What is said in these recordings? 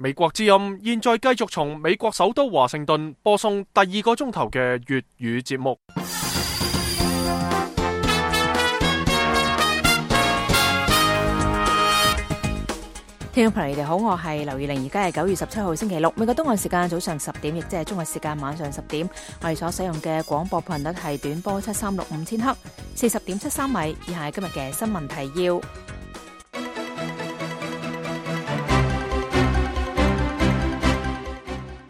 美國之音現在繼續從美國首都華盛頓播送第2個鐘頭嘅粵語節目。聽眾朋友，你哋好，我係劉月玲，而家係9月17號星期六，美國東岸時間早上10點，亦即係中國時間晚上10點。我哋所使用嘅廣播頻率係短波7365千赫，40.73米。以下係今日嘅新聞提要。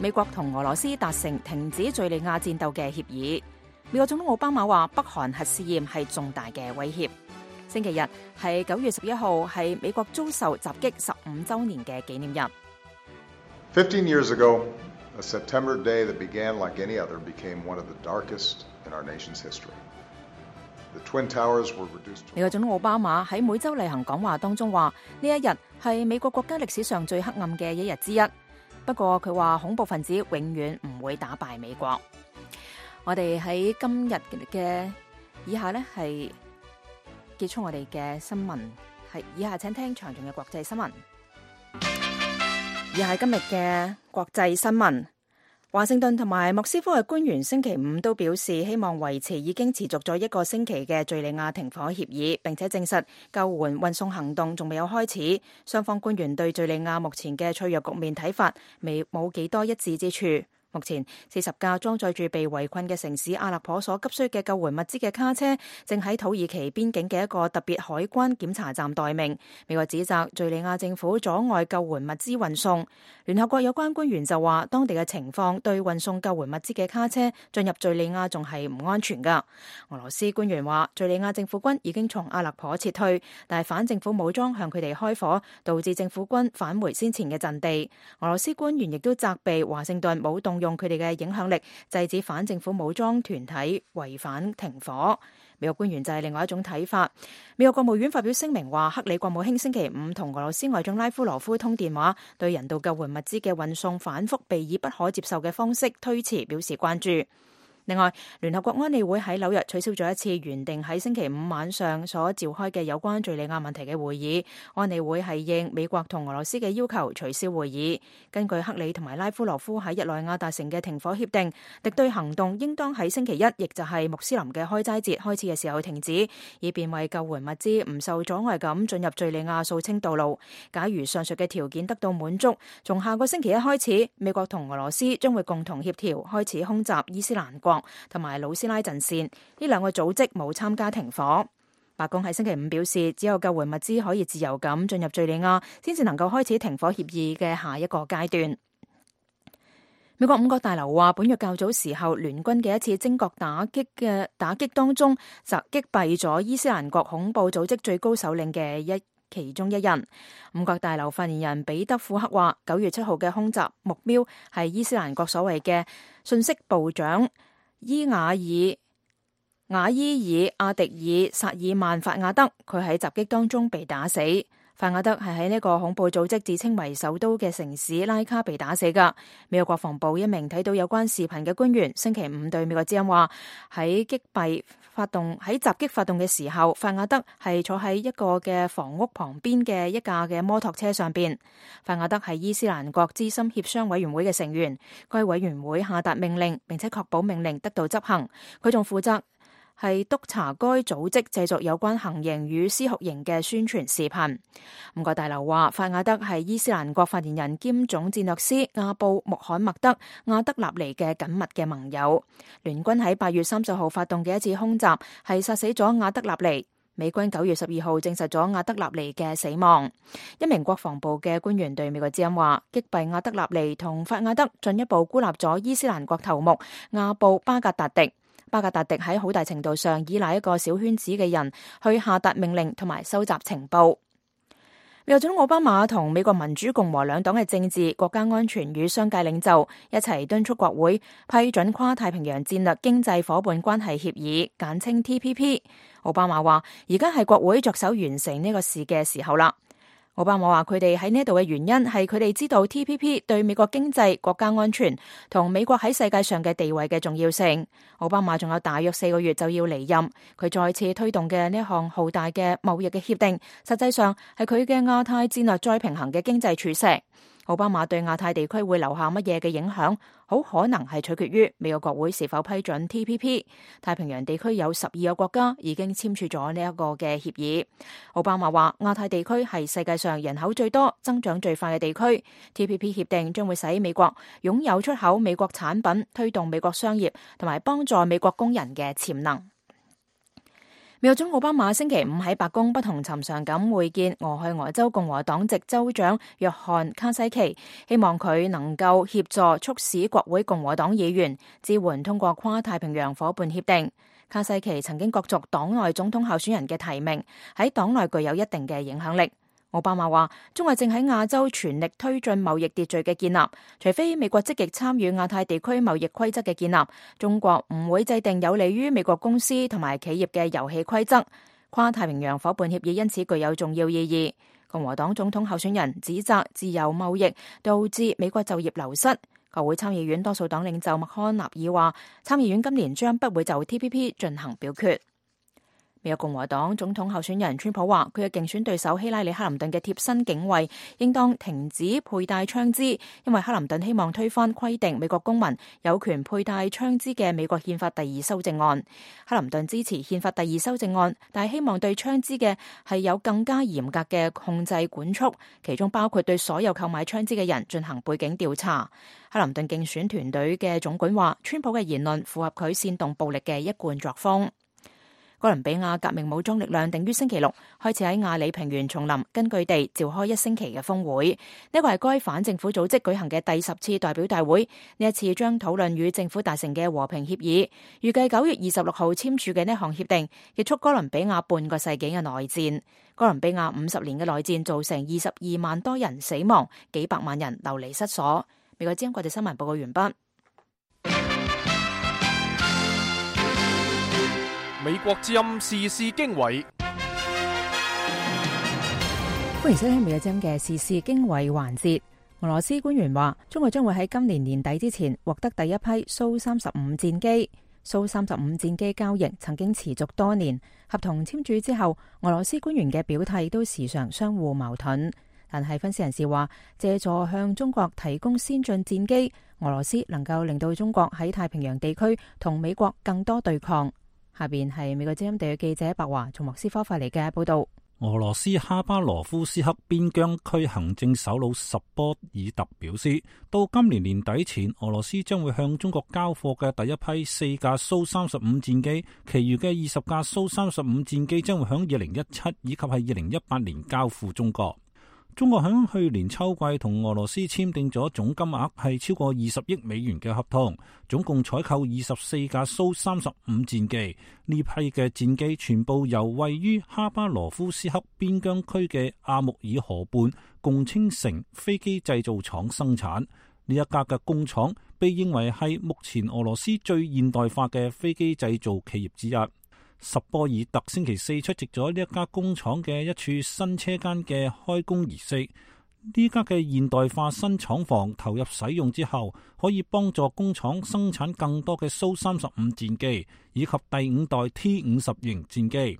美國同俄羅斯達成停止敘利亞戰鬥嘅協議。美國總統奧巴馬話，北韓核試驗係重大嘅威脅。星期日係9月11號，係美國遭受襲擊15週年嘅紀念日。15 years ago, a September day that began like any other became one of the darkest in our nation's history. The Twin Towers were reduced to... 美國總統奧巴馬喺每週例行講話當中話，呢一日係美國國家歷史上最黑暗嘅一日之一。不過佢話恐怖分子永遠唔會打敗美國。我哋喺今日嘅以下呢係結束我哋嘅新聞，係以下請聽詳盡嘅國際新聞。以下係今日嘅國際新聞。華盛頓同埋莫斯科嘅官員星期五都表示，希望維持已經持續咗1個星期嘅敘利亞停火協議，並且證實救援運送行動仲未有開始。雙方官員對敘利亞目前嘅脆弱局面睇法冇幾多一致之處。目前40架裝載住被圍困嘅城市阿勒頗所急需嘅救援物資嘅卡車，正喺土耳其邊境嘅一個特別海關檢查站待命。美國指責敘利亞政府阻礙救援物資運送。聯合國有關官員就話，當地嘅情況對運送救援物資嘅卡車進入敘利亞仲係唔安全㗎。俄羅斯官員話，敘利亞政府軍已經從阿勒頗撤退，但係反政府武裝向佢哋開火，導致政府軍返回先前嘅陣地。俄羅斯官員亦都責備華盛頓冇動用佢哋嘅影響力制止反政府武裝團體違反停火。美國官員就係另外一種睇法。美國國務院發表聲明話，克里國務卿星期五同俄羅斯外長拉夫羅夫通電話，對人道救援物資嘅運送反覆被以不可接受嘅方式推遲表示關注。另外，聯合國安理會喺紐約取消咗一次原定喺星期五晚上所召開嘅有關敘利亞問題嘅會議。安理會係應美國同俄羅斯嘅要求取消會議。根據克里同埋拉夫羅夫喺日內瓦達成嘅停火協定，敵對行動應當喺星期一，亦就係穆斯林嘅開齋節開始嘅時候停止，以便為救援物資唔受阻礙咁進入敘利亞掃清道路。假如上述嘅條件得到滿足，從下個星期一開始，美國同俄羅斯將會共同協調開始空襲伊斯蘭國同埋魯斯拉陣線，呢兩個組織冇參加停火。白宮喺星期五表示，只有救援物資可以自由咁進入敘利亞，先至能夠開始停火協議嘅下一個階段。美國五角大樓話，本月較早時候聯軍嘅一次精確打擊當中，就擊斃咗伊斯蘭國恐怖組織最高首領嘅其中一人。五角大樓發言人彼得庫克話，9月7號嘅空襲目標係伊斯蘭國所謂嘅信息部長瓦伊爾阿迪爾薩爾曼法亞德，佢喺襲擊當中被打死。法亞德係喺呢個恐怖組織自稱為首都嘅城市拉卡被打死㗎。美國國防部一名睇到有關視頻嘅官員星期五對美國之音話，喺襲擊發動嘅時候，法亞德係坐喺一個嘅房屋旁邊嘅一架嘅摩托車上邊。法亞德係伊斯蘭國資深協商委員會嘅成員，該委員會下達命令並且確保命令得到執行。佢仲負責係督查該組織製作有關行刑與施酷刑嘅宣傳視頻。五角大樓話，法亞德係伊斯蘭國發言人兼總戰略師阿布穆罕默德亞德納尼嘅緊密嘅盟友。聯軍喺8月30號發動嘅一次空襲係殺死咗亞德納尼。美軍9月12號證實咗亞德納尼嘅死亡。一名國防部嘅官員對美國之音話，擊斃亞德納尼同法亞德進一步孤立咗伊斯蘭國頭目阿布巴格達迪。巴格達迪喺好大程度上依賴一個小圈子嘅人去下達命令同埋收集情報。美國總統奧巴馬同美國民主共和兩黨嘅政治、國家安全與商界領袖一齊敦促國會批准跨太平洋戰略經濟夥伴關係協議，簡稱 TPP。奧巴馬話：而家係國會着手完成呢個事嘅時候啦。奧巴馬話佢哋喺呢度嘅原因係佢哋知道 TPP 對美國經濟、國家安全同美國喺世界上嘅地位嘅重要性。奧巴馬仲有大約4個月就要離任，佢再次推動嘅呢項浩大嘅貿易嘅協定，實際上係佢嘅亞太戰略再平衡嘅經濟柱石。奧巴馬對亞太地區會留下乜嘢嘅影響，好可能係取決於美國國會是否批准 TPP。太平洋地區有12個國家已經簽署咗呢一個嘅協議。奧巴馬話亞太地區係世界上人口最多、增長最快嘅地區。TPP 協定將會使美國擁有出口美國產品、推動美國商業同埋幫助美國工人嘅潛能。美國總統奧巴馬星期五喺白宮不同尋常咁會見俄亥俄州共和黨籍州長約翰卡西奇，希望佢能夠協助促使國會共和黨議員支援通過跨太平洋夥伴協定。卡西奇曾經角逐黨內總統候選人嘅提名，喺黨內具有一定嘅影響力。奧巴馬話，中國正喺亞洲全力推進貿易秩序嘅建立，除非美國積極參與亞太地區貿易規則嘅建立，中國唔會制定有利於美國公司同埋企業嘅遊戲規則。跨太平洋夥伴協議因此具有重要意義。共和黨總統候選人指責自由貿易導致美國就業流失。國會參議院多數黨領袖麥康納爾話，參議院今年將不會就 TPP 進行表決。美國共和黨總統候選人川普話，佢嘅競選對手希拉里克林頓嘅貼身警衛應當停止佩戴槍支，因為克林頓希望推翻規定美國公民有權佩戴槍支嘅美國憲法第2修正案。克林頓支持憲法第2修正案，但係希望對槍支嘅係有更加嚴格嘅控制管束，其中包括對所有購買槍支嘅人進行背景調查。克林頓競選團隊嘅總管話，川普嘅言論符合佢煽動暴力嘅一貫作風。哥倫比亞革命武裝力量定於星期六開始喺亞里平原叢林根據地召開1星期嘅峰會，呢個係該反政府組織舉行嘅第10次代表大會。呢一次將討論與政府達成嘅和平協議，預計9月26號簽署嘅呢項協定結束哥倫比亞半個世紀嘅內戰。哥倫比亞50年嘅內戰造成22萬多人死亡，幾百萬人流離失所。美國之音國際新聞報告完畢。美國之音時事經緯，歡迎收聽美國之音嘅時事經緯環節。俄羅斯官員話，中國將會喺今年年底之前獲得第一批蘇35戰機。蘇35戰機交易曾經持續多年，合同簽署之後，俄羅斯官員嘅表態都時常相互矛盾。但係分析人士話，借助向中國提供先進戰機，俄羅斯能夠令到中國喺太平洋地區同美國更多對抗。下邊係美國之音地嘅記者白華從莫斯科發嚟嘅報道。俄羅斯哈巴羅夫斯克邊疆區行政首腦什波爾特表示，到今年年底前，俄羅斯將會向中國交貨嘅第一批4架蘇35戰機，其餘嘅20架蘇35戰機將會響2017以及係2018年交付中國。中國響去年秋季同俄羅斯簽訂咗總金額係超過20億美元嘅合同，總共採購24架蘇35戰機。呢批嘅戰機全部由位於哈巴羅夫斯克邊疆區嘅阿穆爾河畔共青城飛機製造廠生產。呢一家嘅工廠被認為係目前俄羅斯最現代化嘅飛機製造企業之一。什波爾特星期4出席咗呢一家工廠嘅一處新車間嘅開工儀式。呢家嘅現代化新廠房投入使用之後，可以幫助工廠生產更多嘅蘇35戰機以及第5代 T50型戰機。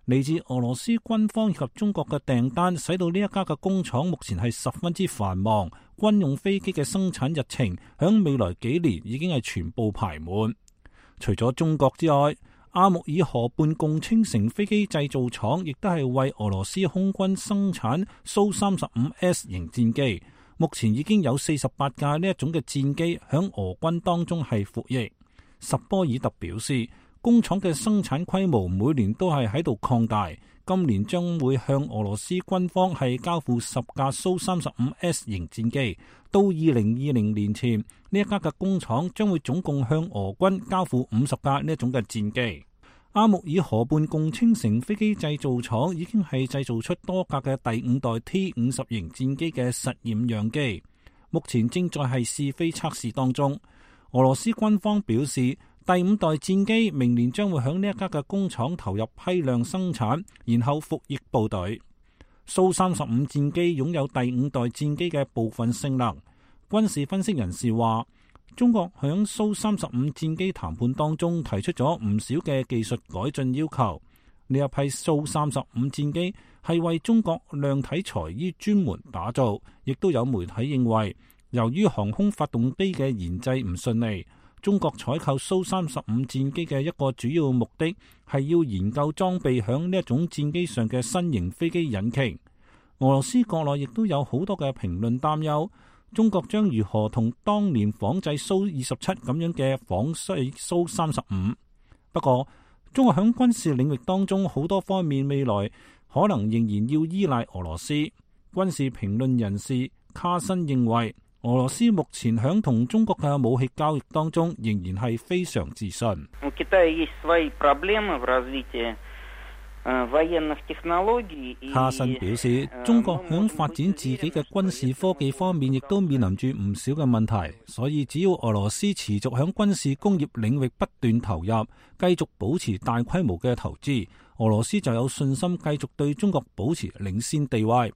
嚟自俄羅斯軍方以及中國嘅訂單，使到呢一家嘅工廠目前係十分之繁忙。軍用飛機嘅生產日程響未來幾年已經係全部排滿。除咗中國之外，阿穆爾河畔共青城飛機製造廠亦都係為俄羅斯空軍生產蘇35S型戰機，目前已經有48架呢一種嘅戰機響俄軍當中係服役。什波爾特表示，工廠嘅生產規模每年都係喺度擴大，今年將會向俄羅斯軍方係交付10架蘇35S型戰機，到2020年前，呢一家嘅工廠將會總共向俄軍交付50架呢一種嘅戰機。阿穆爾河畔共青城飛機製造廠已經係製造出多架嘅第5代 T50型戰機嘅實驗樣機，目前正在係試飛測試當中。俄羅斯軍方表示，第5代戰機明年將會響呢一家嘅工廠投入批量生產，然後服役部隊。蘇35戰機擁有第5代戰機嘅部分性能。軍事分析人士話，中國響蘇35戰機談判當中提出咗唔少嘅技術改進要求。呢一批蘇35戰機係為中國量體裁衣專門打造，亦都有媒體認為，由於航空發動機嘅研製唔順利，中國採購蘇35戰機嘅一個主要目的係要研究裝備響呢一種戰機上嘅新型飛機引擎。俄羅斯國內亦都有好多嘅評論擔憂，中國將如何同當年仿製蘇27咁樣嘅仿製蘇35。不過，中國響軍事領域當中好多方面未來可能仍然要依賴俄羅斯。軍事評論人士卡申認為，俄羅斯目前響同中國嘅武器交易當中仍然係非常自信。卡申表示，中國響發展自己嘅軍事科技方面亦都面臨住唔少嘅問題，所以只要俄羅斯持續響軍事工業領域不斷投入，繼續保持大規模嘅投資，俄羅斯就有信心繼續對中國保持領先地位。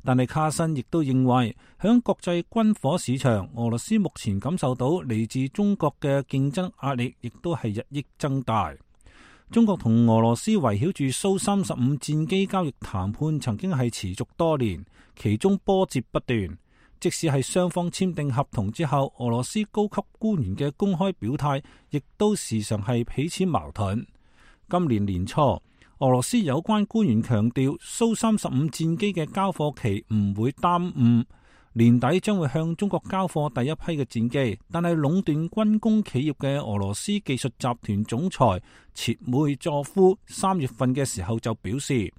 但係卡申亦都認為，響國際軍火市場，俄羅斯目前感受到嚟自中國嘅競爭壓力，亦都係日益增大。中國同俄羅斯圍繞住蘇35戰機交易談判曾經係持續多年，其中波折不斷。即使係雙方簽訂合同之後，俄羅斯高級官員嘅公開表態亦都時常係彼此矛盾。今年年初，俄羅斯有關官員強調，蘇35戰機嘅交貨期唔會耽誤，年底將會向中國交貨第一批嘅戰機。但係壟斷軍工企業嘅俄羅斯技術集團總裁切梅佐夫3月份嘅時候就表示，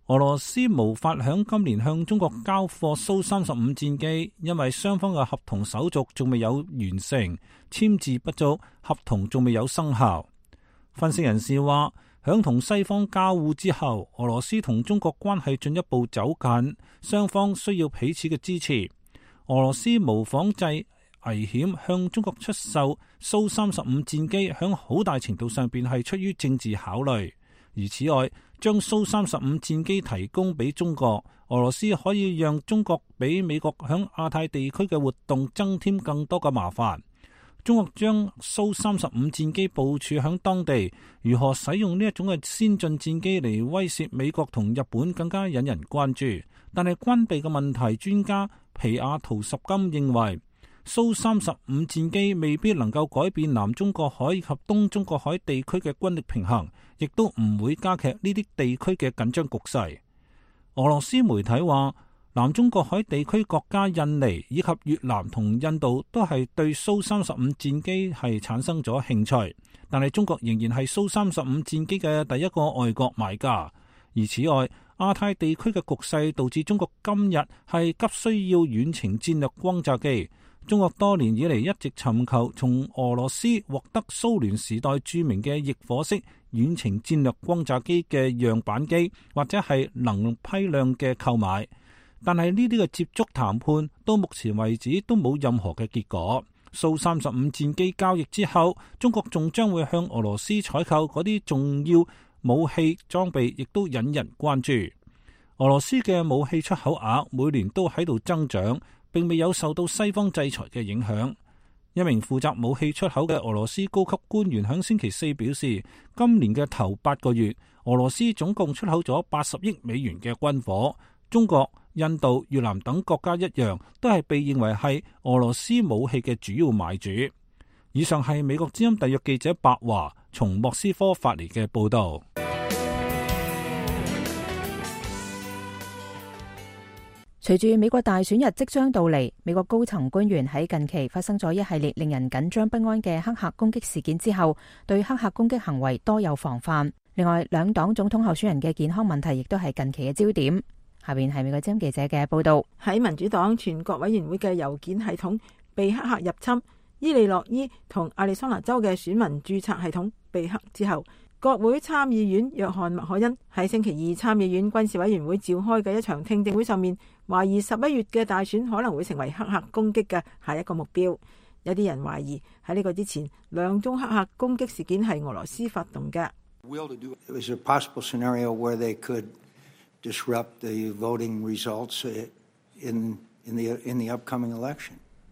俄羅斯無法響今年向中國交貨蘇35戰機，因為雙方嘅合同手續仲未有完成，簽字不足，合同仲未有生效。分析人士話，響同西方交互之後，俄羅斯同中國關係進一步走近，雙方需要彼此嘅支持。俄羅斯無仿製危險向中國出售蘇35戰機，響好大程度上邊係出於政治考慮。而此外，將蘇35戰機提供俾中國，俄羅斯可以讓中國比美國響亞太地區嘅活動增添更多嘅麻煩。中國將蘇35戰機部署響當地，如何使用呢一種嘅先進戰機嚟威懾美國同日本，更加引人關注。但係軍備嘅問題專家皮亞圖什金認為，蘇35戰機未必能夠改變南中國海及東中國海地區嘅軍力平衡，亦都唔會加劇呢啲地區嘅緊張局勢。俄羅斯媒體話，南中國海地區國家印尼以及越南同印度都係對蘇35戰機係產生咗興趣，但係中國仍然係蘇35戰機嘅第一個外國買家。而此外，亞太地區嘅局勢導致中國今日係急需要遠程戰略轟炸機。中國多年以嚟一直尋求從俄羅斯獲得蘇聯時代著名嘅翼火式遠程戰略轟炸機嘅樣板機，或者係能批量嘅購買。但係呢啲嘅接觸談判到目前為止都冇任何嘅結果。蘇35戰機交易之後，中國仲將會向俄羅斯採購嗰啲重要武器裝備，亦都引人關注。俄羅斯嘅武器出口額每年都喺度增長，並未有受到西方制裁嘅影響。一名負責武器出口嘅俄羅斯高級官員喺星期四表示，今年嘅頭8個月，俄羅斯總共出口咗80億美元嘅軍火。中國、印度、越南等國家一樣，都係被認為係俄羅斯武器嘅主要買主。以上係美國之音特約記者白華從莫斯科發嚟嘅報道。隨住美國大選日即將到嚟，美國高層官員喺近期發生咗一系列令人緊張不安嘅黑客攻擊事件之後，對黑客攻擊行為多有防範。另外，兩黨總統候選人嘅健康問題亦都係近期嘅焦點。下邊係美國之音記者嘅報道。喺民主黨全國委員會嘅郵件系統被黑客入侵，伊利諾伊同亞利桑那州嘅選民註冊系統被黑之後，國會參議院約翰麥凱恩喺星期二參議院軍事委員會召開嘅一場聽證會上面，懷疑11月嘅大選可能會成為黑客攻擊嘅下一個目標。有啲人懷疑喺呢個之前，2宗黑客攻擊事件係俄羅斯發動嘅。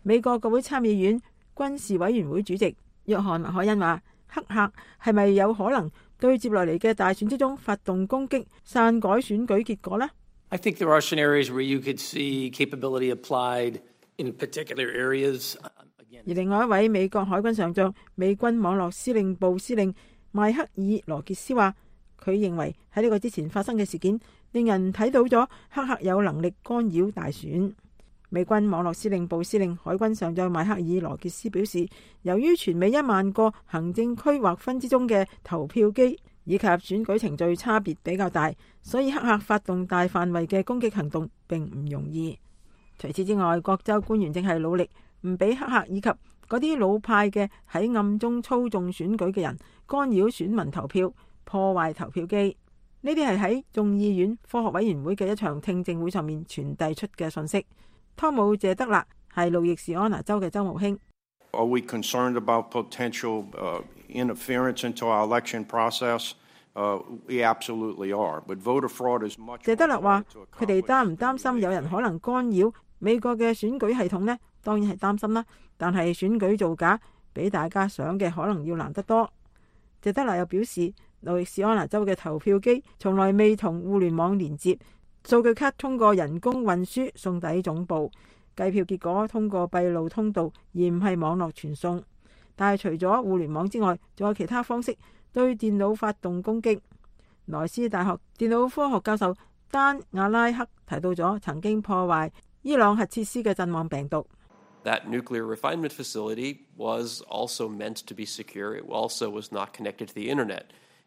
美國國會參議院軍事委員會主席約翰麥凱恩話：黑客係咪有可能對接落嚟嘅大選之中發動攻擊，篡改選舉結果呢？ I think there are scenarios where you could see capability applied in particular areas. 而另外一位美國海軍上將、美軍網絡司令部司令邁克爾羅傑斯話，佢認為喺呢個之前發生嘅事件，令人睇到咗黑客有能力干擾大選。美軍網絡司令部司令海軍上將邁克爾羅傑斯表示，由於全美1萬個行政區劃分之中嘅投票機以及選舉程序差別比較大，所以黑客發動大範圍嘅攻擊行動並唔容易。除此之外，各州官員正係努力唔俾黑客以及嗰啲老派嘅喺暗中操縱選舉嘅人干擾選民投票、破壞投票機。呢啲係喺眾議院科學委員會嘅一場聽證會上面傳遞出嘅信息。湯姆謝德勒係路易斯安那州嘅州務卿。Are we concerned about potential interference into our election process? We absolutely are. But voter fraud is much. 謝德勒話：佢哋擔唔擔心有人可能干擾美國嘅選舉系統呢？當然係擔心啦。但係選舉造假比大家想嘅可能要難得多。謝德勒又表示，路易斯安那州嘅投票機從來未同互聯網連接，數據卡通過人工運輸送抵總部，計票結果通過閉路通道而唔係網絡傳送。但係除咗互聯網之外，仲有其他方式對電腦發動攻擊。萊斯大學電腦科學教授丹亞拉克提到咗曾經破壞伊朗核設施嘅陣亡病毒。That nuclear refinement facility was also meant to be secure. It also was not connected to the internet.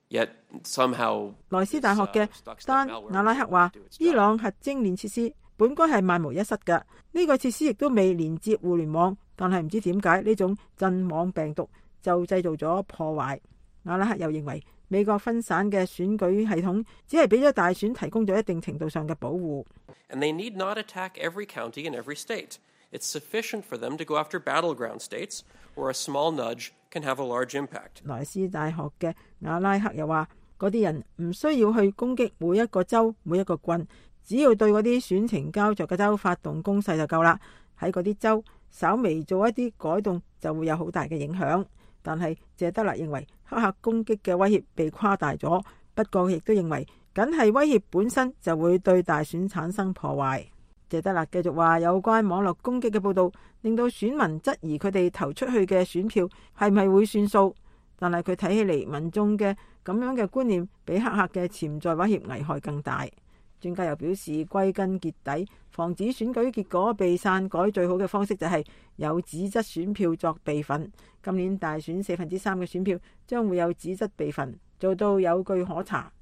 Yet somehow 萊斯大學嘅丹亞拉克話，伊朗核精煉設施本該係萬無一失嘅，呢個設施亦都未連接互聯網，但係唔知點解呢種陣亡病毒就製造咗破壞。亞拉克又認為美國分散嘅選舉系統只係俾咗大選提供咗一定程度上嘅保護。And they need not attack every county in every state. It's sufficient for them to go after battleground states where a small nudge can have a large impact. 萊斯大學嘅亞拉克又話，嗰啲人唔需要去攻擊每一個州、每一個郡，只要對嗰啲選情膠着嘅州發動攻勢就夠啦。喺嗰啲州稍微做一啲改動就會有好大嘅影響。但係謝德勒認為黑客攻擊嘅威脅被誇大咗，不過亦都認為僅係威脅本身就會對大選產生破壞。謝德勒繼續話，有關網絡攻擊嘅報道令到選民質疑佢哋投出去嘅選票係咪會算數，但係佢睇起嚟民眾嘅咁樣嘅觀念比黑客嘅潛在威脅危害更大。專家又表示，歸根結底，防止選舉結果被篡改最好嘅方式就係有紙質選票作備份。今年大選3/4嘅選票將會有紙質備份，做到有據可查。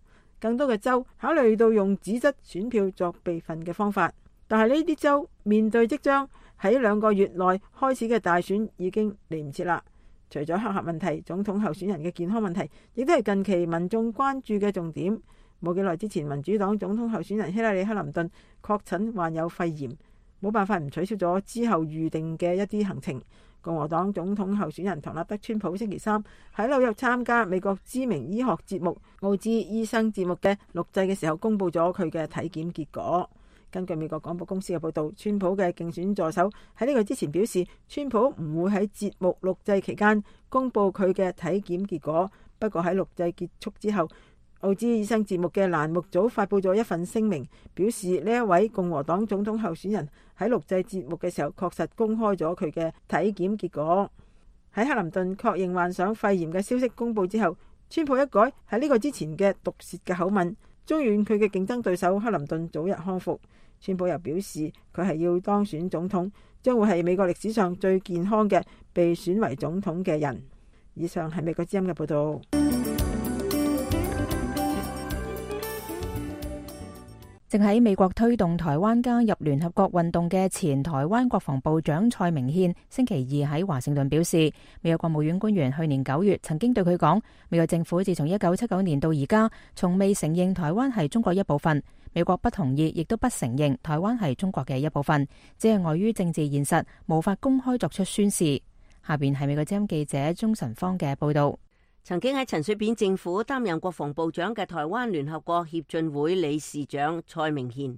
更多嘅州考慮到用紙質選票作備份嘅方法，但係呢啲州面對即將喺2個月內開始嘅大選已經嚟唔切啦。除咗黑客問題，總統候選人嘅健康問題亦都係近期民眾關注嘅重點。冇幾耐之前，民主黨總統候選人希拉里·克林頓確診患有肺炎，冇辦法唔取消咗之後預定嘅一啲行程。共和黨總統候選人唐納德·川普星期3喺紐約參加美國知名醫學節目《奧茲醫生》節目嘅錄製嘅時候，公佈咗佢嘅體檢結果。根據美國廣播公司嘅報導，川普嘅競選助手喺呢個之前表示，川普唔會喺節目錄製期間公佈佢嘅體檢結果。不過喺錄製結束之後，奧茲醫生節目嘅欄目組發佈咗一份聲明，表示呢一位共和黨總統候選人喺錄製節目嘅時候確實公開咗佢嘅體檢結果。喺克林頓確認患上肺炎嘅消息公佈之後，川普一改喺呢個之前嘅毒舌嘅口吻，祝願佢嘅競爭對手克林頓早日康復。川普又表示佢係要當選總統，將會係美國歷史上最健康嘅被選為總統嘅人。以上係美國之音嘅報導。正喺美國推動台灣加入聯合國運動嘅前台灣國防部長蔡明憲星期二喺華盛頓表示，美國國務院官員去年9月曾經對佢講，美國政府自從1979年到而家，從未承認台灣係中國一部分。美國不同意，亦都不承認台灣係中國嘅一部分，只係礙於政治現實，無法公開作出宣示。下邊係美國之音記者鍾晨芳嘅報道。曾經喺陳水扁政府擔任國防部長嘅台灣聯合國協進會理事長蔡明憲，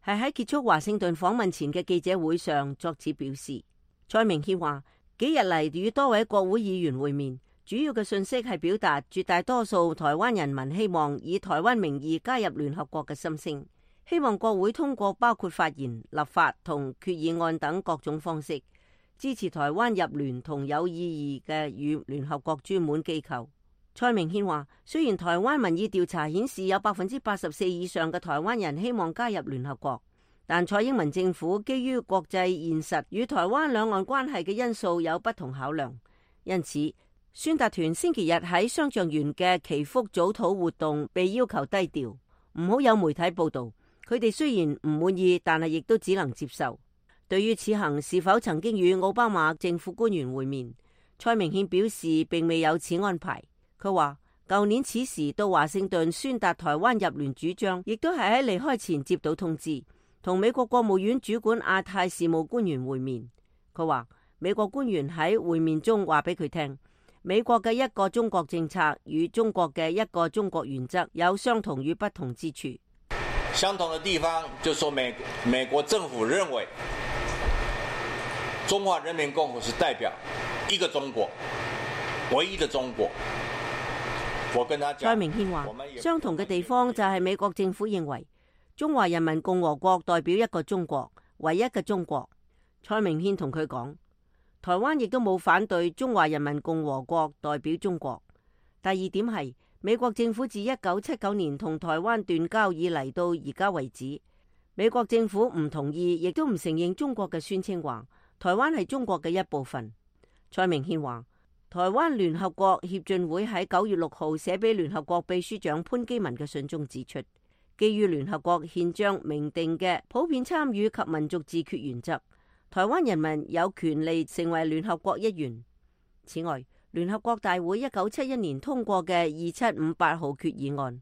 係喺結束華盛頓訪問前嘅記者會上作此表示。蔡明憲話，幾日嚟與多位國會議員會面，主要嘅信息係表達絕大多數台灣人民希望以台灣名義加入聯合國嘅心聲，希望國會通過包括發言、立法同決議案等各種方式，支持台灣入聯同有意義嘅與聯合國專門機構。蔡明憲話，雖然台灣民意調查顯示有84%以上嘅台灣人希望加入聯合國，但蔡英文政府基於國際現實與台灣兩岸關係嘅因素有不同考量，因此宣達團星期日喺雙橡園嘅祈福早禱活動被要求低調，唔好有媒體報道。佢哋雖然唔滿意，但係亦都只能接受。對於此行是否曾經與奧巴馬政府官員會面，蔡明憲表示並未有此安排。佢話舊年此時到華盛頓宣達台灣入聯主張，亦都係喺離開前接到通知，同美國國務院主管亞太事務官員會面。佢話美國官員喺會面中話俾佢聽，美國嘅一個中國政策與中國嘅一個中國原則有相同與不同之處。相同的地方就說美國政府認為中華人民共和國是代表一個中國，唯一的中國。我跟他講，蔡明憲話，相同嘅地方就係美國政府認為中華人民共和國代表一個中國，唯一嘅中國。蔡明憲同佢講，台灣亦都冇反對中華人民共和國代表中國。第二點係，美國政府自1979年同台灣斷交以嚟到而家為止，美國政府唔同意，亦都唔承認中國嘅宣稱話台灣係中國嘅一部分。蔡明憲話，台灣聯合國協進會喺9月6號寫俾聯合國秘書長潘基文嘅信中指出，基於聯合國憲章明定嘅普遍參與及民族自決原則，台灣人民有權利成為聯合國一員。此外，聯合國大會1971年通過嘅2758號決議案，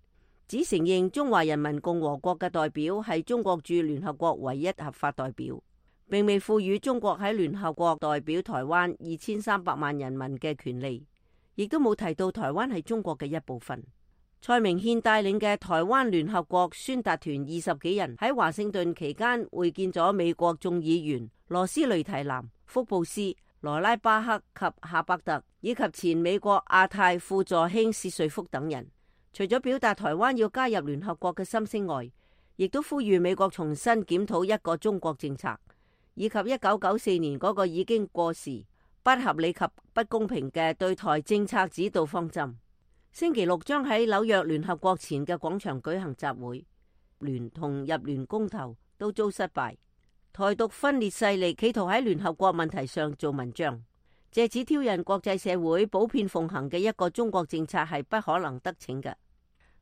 只承認中華人民共和國嘅代表係中國駐聯合國唯一合法代表，並未賦予中國喺聯合國代表台灣2300萬人民嘅權利，亦都冇提到台灣係中國嘅一部分。蔡明憲帶領嘅台灣聯合國宣達團20幾人喺華盛頓期間會見咗美國眾議員羅斯雷提南、福布斯、羅拉巴克及夏伯特，以及前美國亞太副助卿薛瑞福等人。除咗表達台灣要加入聯合國嘅心聲外，亦都呼籲美國重新檢討一個中國政策，以及1994年嗰個已經過時、不合理及不公平嘅對台政策指導方針。星期六將喺紐約聯合國前嘅廣場舉行集會，聯同入聯公投都遭失敗。台獨分裂勢力企圖喺聯合國問題上做文章，借此挑釁國際社會普遍奉行嘅一個中國政策係不可能得逞嘅。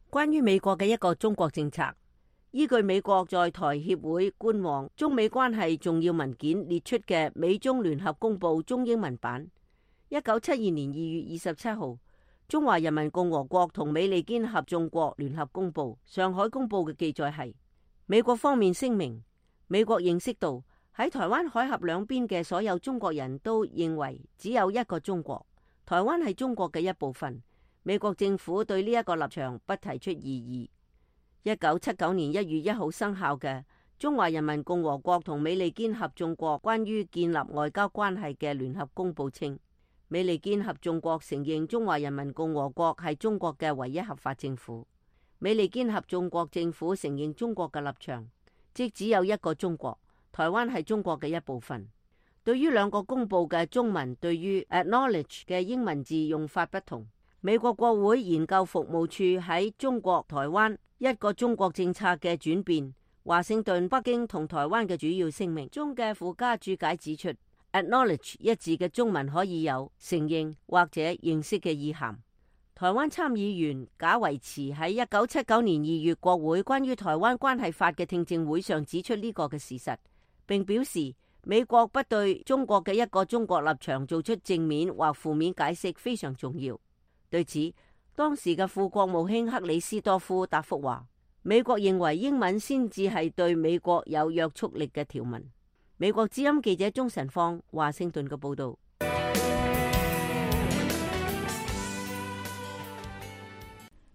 關於美國嘅一個中國政策，依據美國在台協會官網中美關係重要文件列出嘅美中聯合公報中英文版，1972年2月27號，中華人民共和國同美利堅合眾國聯合公報上海公報嘅記載係，美國方面聲明，美國認識到喺台灣海峽兩邊嘅所有中國人都認為只有一個中國，台灣係中國嘅一部分。美國政府對呢一個立場不提出異議。1979年1月1號生效嘅中華人民共和國同美利堅合眾國關於建立外交關係嘅聯合公報稱，美利堅合眾國承認中華人民共和國係中國嘅唯一合法政府。美利堅合眾國政府承認中國嘅立場，即只有一個中國，台灣係中國嘅一部分。對於兩個公報嘅中文對於 acknowledge 嘅英文字用法不同，美國國會研究服務處喺中國台灣一個中國政策嘅轉變、華盛頓、北京同台灣嘅主要聲明中嘅附加注解指出，acknowledge 一字嘅中文可以有承認或者認識嘅意涵。台灣參議員賈維慈喺1979年2月國會關於台灣關係法嘅聽證會上指出呢個嘅事實，並表示美國不對中國嘅一個中國立場做出正面或負面解釋非常重要。對此，當時嘅副國務卿克里斯多夫答覆話，美國認為英文先至係對美國有約束力嘅條文。美國之音記者鍾晨芳華盛頓嘅報道。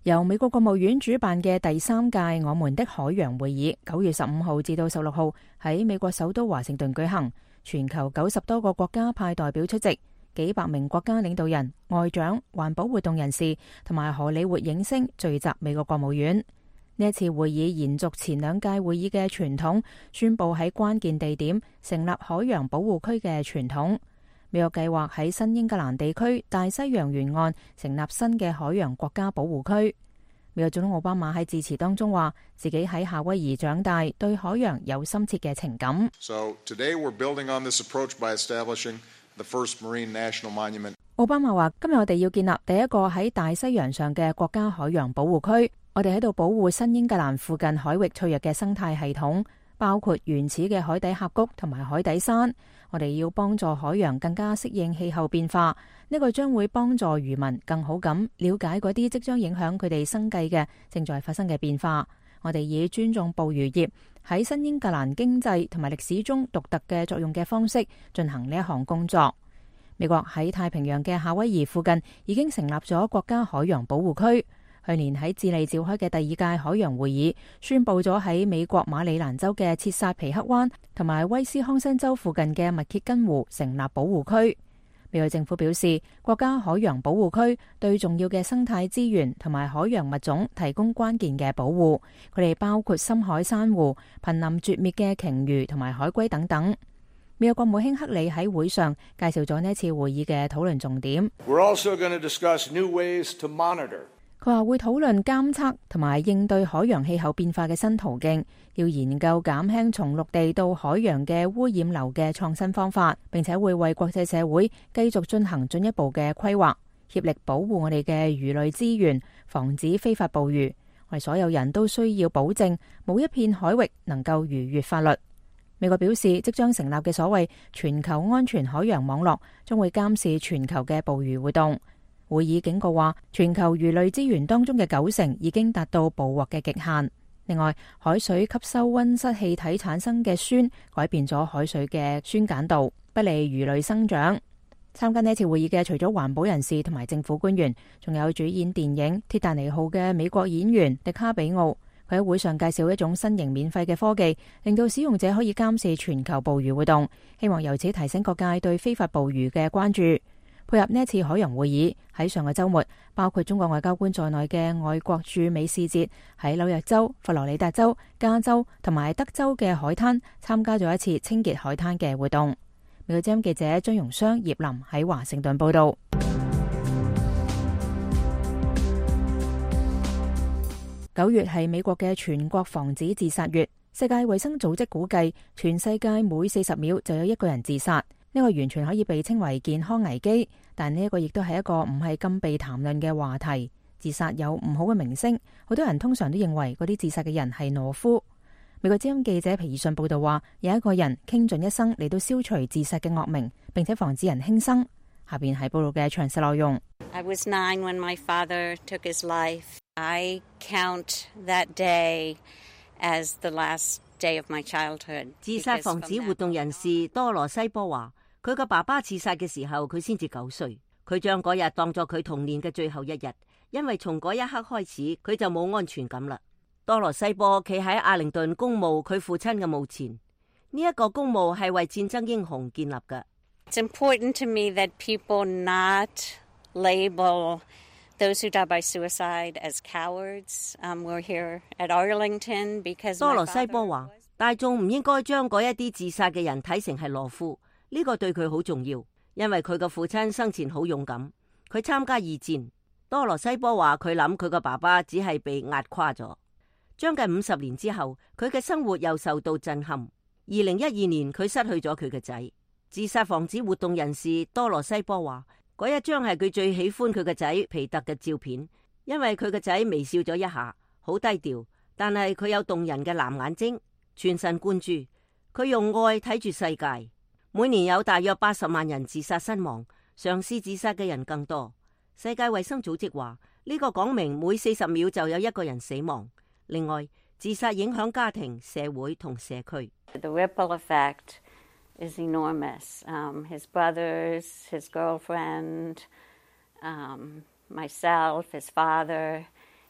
由美國國務院主辦嘅第3屆我們的海洋會議9月15號至到16號喺美國首都華盛頓舉行，全球90多個國家派代表出席，幾百名國家領導人、外長、環保活動人士同埋荷里活影星聚集美國國務院。呢一次會議延續前兩屆會議嘅傳統，宣布喺關鍵地點成立海洋保護區嘅傳統。美國計劃喺新英格蘭地區大西洋沿岸成立新嘅海洋國家保護區。美國總統奧巴馬喺致辭當中話，自己喺夏威夷長大，對海洋有深切嘅情感。So today we're building on this approach by establishing the first Marine National Monument. 奧巴馬話，今日我哋要建立第一個喺大西洋上嘅國家海洋保護區。我哋喺度保護新英格蘭附近海域脆弱嘅生態系統，包括原始嘅海底峽谷同埋海底山。我哋要幫助海洋更加適應氣候變化，呢個將會幫助漁民更好咁了解嗰啲即將影響佢哋生計嘅正在發生嘅變化。我哋以尊重捕魚業喺新英格蘭經濟同埋歷史中獨特嘅作用嘅方式進行呢一項工作。美國喺太平洋嘅夏威夷附近已經成立咗國家海洋保護區。去年喺智利召開嘅第二屆海洋會議，宣布咗喺美國馬里蘭州嘅切薩皮克灣同埋威斯康辛州附近嘅密歇根湖成立保護區。美國政府表示，國家海洋保護區對重要嘅生態資源同埋海洋物種提供關鍵嘅保護，佢哋包括深海珊瑚、瀕臨絕滅嘅鯨魚同埋海龜等等。美國國務卿克里喺會上介紹咗呢次會議嘅討論重點。We're also going to discuss new ways to monitor. 佢話會討論監測同埋應對海洋氣候變化嘅新途徑，要研究減輕從陸地到海洋嘅污染流嘅創新方法，並且會為國際社會繼續進行進一步嘅規劃，協力保護我哋嘅魚類資源，防止非法捕魚。我哋所有人都需要保證冇一片海域能夠逾越法律。美國表示，即將成立嘅所謂全球安全海洋網絡將會監視全球嘅捕魚活動。會議警告話，全球魚類資源當中嘅90%已經達到捕獲嘅極限。另外，海水吸收溫室氣體產生嘅酸，改變咗海水嘅酸鹼度，不利魚類生長。參加呢次會議嘅除咗環保人士同埋政府官員，仲有主演電影《鐵達尼號》嘅美國演員迪卡比奧。佢喺會上介紹一種新型免費嘅科技，令到使用者可以監視全球捕魚活動，希望由此提醒各界對非法捕魚嘅關注。配合呢一次海洋會議，喺上個週末，包括中國外交官在內嘅外國駐美使節喺紐約州、佛羅里達州、加州同埋德州嘅海灘參加咗一次清潔海灘嘅活動。美國之音記者張容雙、葉林喺華盛頓報道。9月係美國嘅全國防止自殺月，世界衛生組織估計，全世界每40秒就有一個人自殺。呢個完全可以被稱為健康危機，但呢一個亦都係一個唔係咁被談論嘅話題。自殺有唔好嘅名聲，好多人通常都認為嗰啲自殺嘅人係懦夫。美國之音記者皮爾遜報道話，有一個人傾盡一生嚟到消除自殺嘅惡名，並且防止人輕生。下邊係報道嘅詳細內容。I was 9 when my father took his life. I count that day as the last day of my childhood. 自殺防止活動人士多羅西波話，佢個爸爸自殺嘅時候，佢先至9歲。佢將嗰日當作佢童年嘅最後一日，因為從嗰一刻開始，佢就冇安全感啦。多羅西波企喺阿靈頓公墓佢父親嘅墓前，呢一個公墓係為戰爭英雄建立嘅。It's important to me that people not label those who die by suicide as cowards. We're here at Arlington because 多羅西波話，大眾唔應該將嗰一啲自殺嘅人睇成係懦夫。呢個對佢好重要，因為佢個父親生前好勇敢，佢參加二戰。多羅西波話佢諗佢個爸爸只係被壓垮咗。將近50年之後，佢嘅生活又受到震撼。2012年佢失去咗佢嘅仔。自殺防止活動人士多羅西波話，嗰一張係佢最喜歡佢嘅仔皮特嘅照片，因為佢嘅仔微笑咗一下，好低調，但係佢有動人嘅藍眼睛，全神貫注，佢用愛睇住世界。每年有大約80萬人自殺身亡，嘗試自殺嘅人更多。世界衛生組織話，呢個講明每40秒就有一個人死亡。另外，自殺影響家庭、社會同社區。The ripple effect is enormous. His brothers, his girlfriend, myself, his father.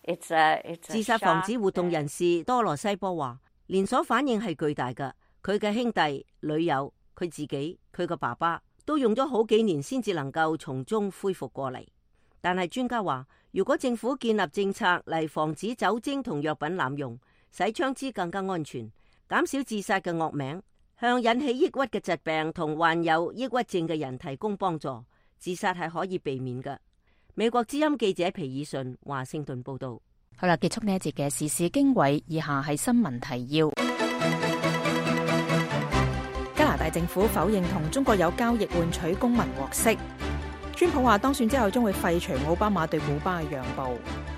It's a 自殺防止活動人士多羅西波話，連鎖反應係巨大嘅。佢嘅兄弟、女友、佢自己、佢個爸爸都用咗好幾年先至能夠從中恢復過嚟。但係專家話，如果政府建立政策嚟防止酒精同藥品濫用，使槍支更加安全，減少自殺嘅惡名，向引起抑鬱嘅疾病同患有抑鬱症嘅人提供幫助，自殺係可以避免嘅。美國之音記者皮爾遜華盛頓報道。好啦，結束呢一節嘅時事經緯，以下係新聞提要。加拿大政府否認同中國有交易換取公民獲釋。川普話當選之後將會廢除奧巴馬對古巴嘅讓步。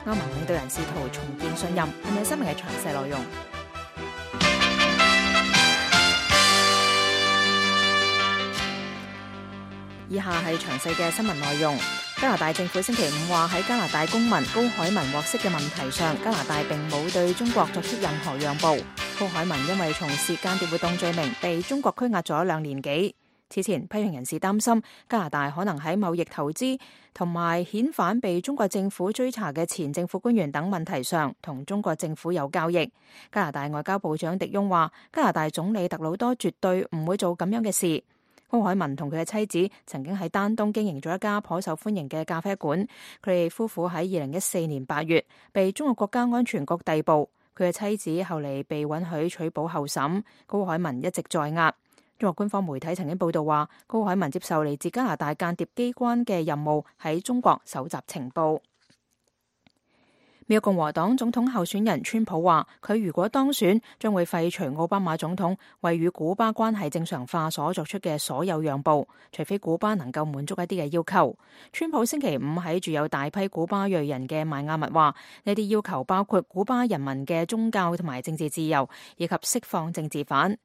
歐盟領導人試圖重建信任。係咪新聞嘅詳細內容？以下係詳細嘅新聞內容。加拿大政府星期五話喺加拿大公民高海文獲釋嘅問題上，加拿大並冇對中國作出任何讓步。高海文因為從事間諜活動罪名被中國拘押咗2年幾。此前批評人士擔心加拿大可能喺貿易投資同埋遣返被中國政府追查嘅前政府官員等問題上同中國政府有交易。加拿大外交部長迪翁話，加拿大總理特魯多絕對唔會做咁樣嘅事。高海文同佢嘅妻子曾經喺丹東經營咗一家頗受歡迎嘅咖啡館。佢哋夫婦喺2014年8月被中國國家安全局逮捕。佢嘅妻子後嚟被允許取保候審。高海文一直在押。中國官方媒體曾經報道話，高海文接受嚟自加拿大間諜機關嘅任務，喺中國搜集情報。美國共和黨總統候選人川普話，佢如果當選，將會廢除奧巴馬總統為與古巴關係正常化所作出嘅所有讓步，除非古巴能夠滿足一啲嘅要求。川普星期五喺住有大批古巴裔人嘅邁阿密話，呢啲要求包括古巴人民嘅宗教同埋政治自由，以及釋放政治犯。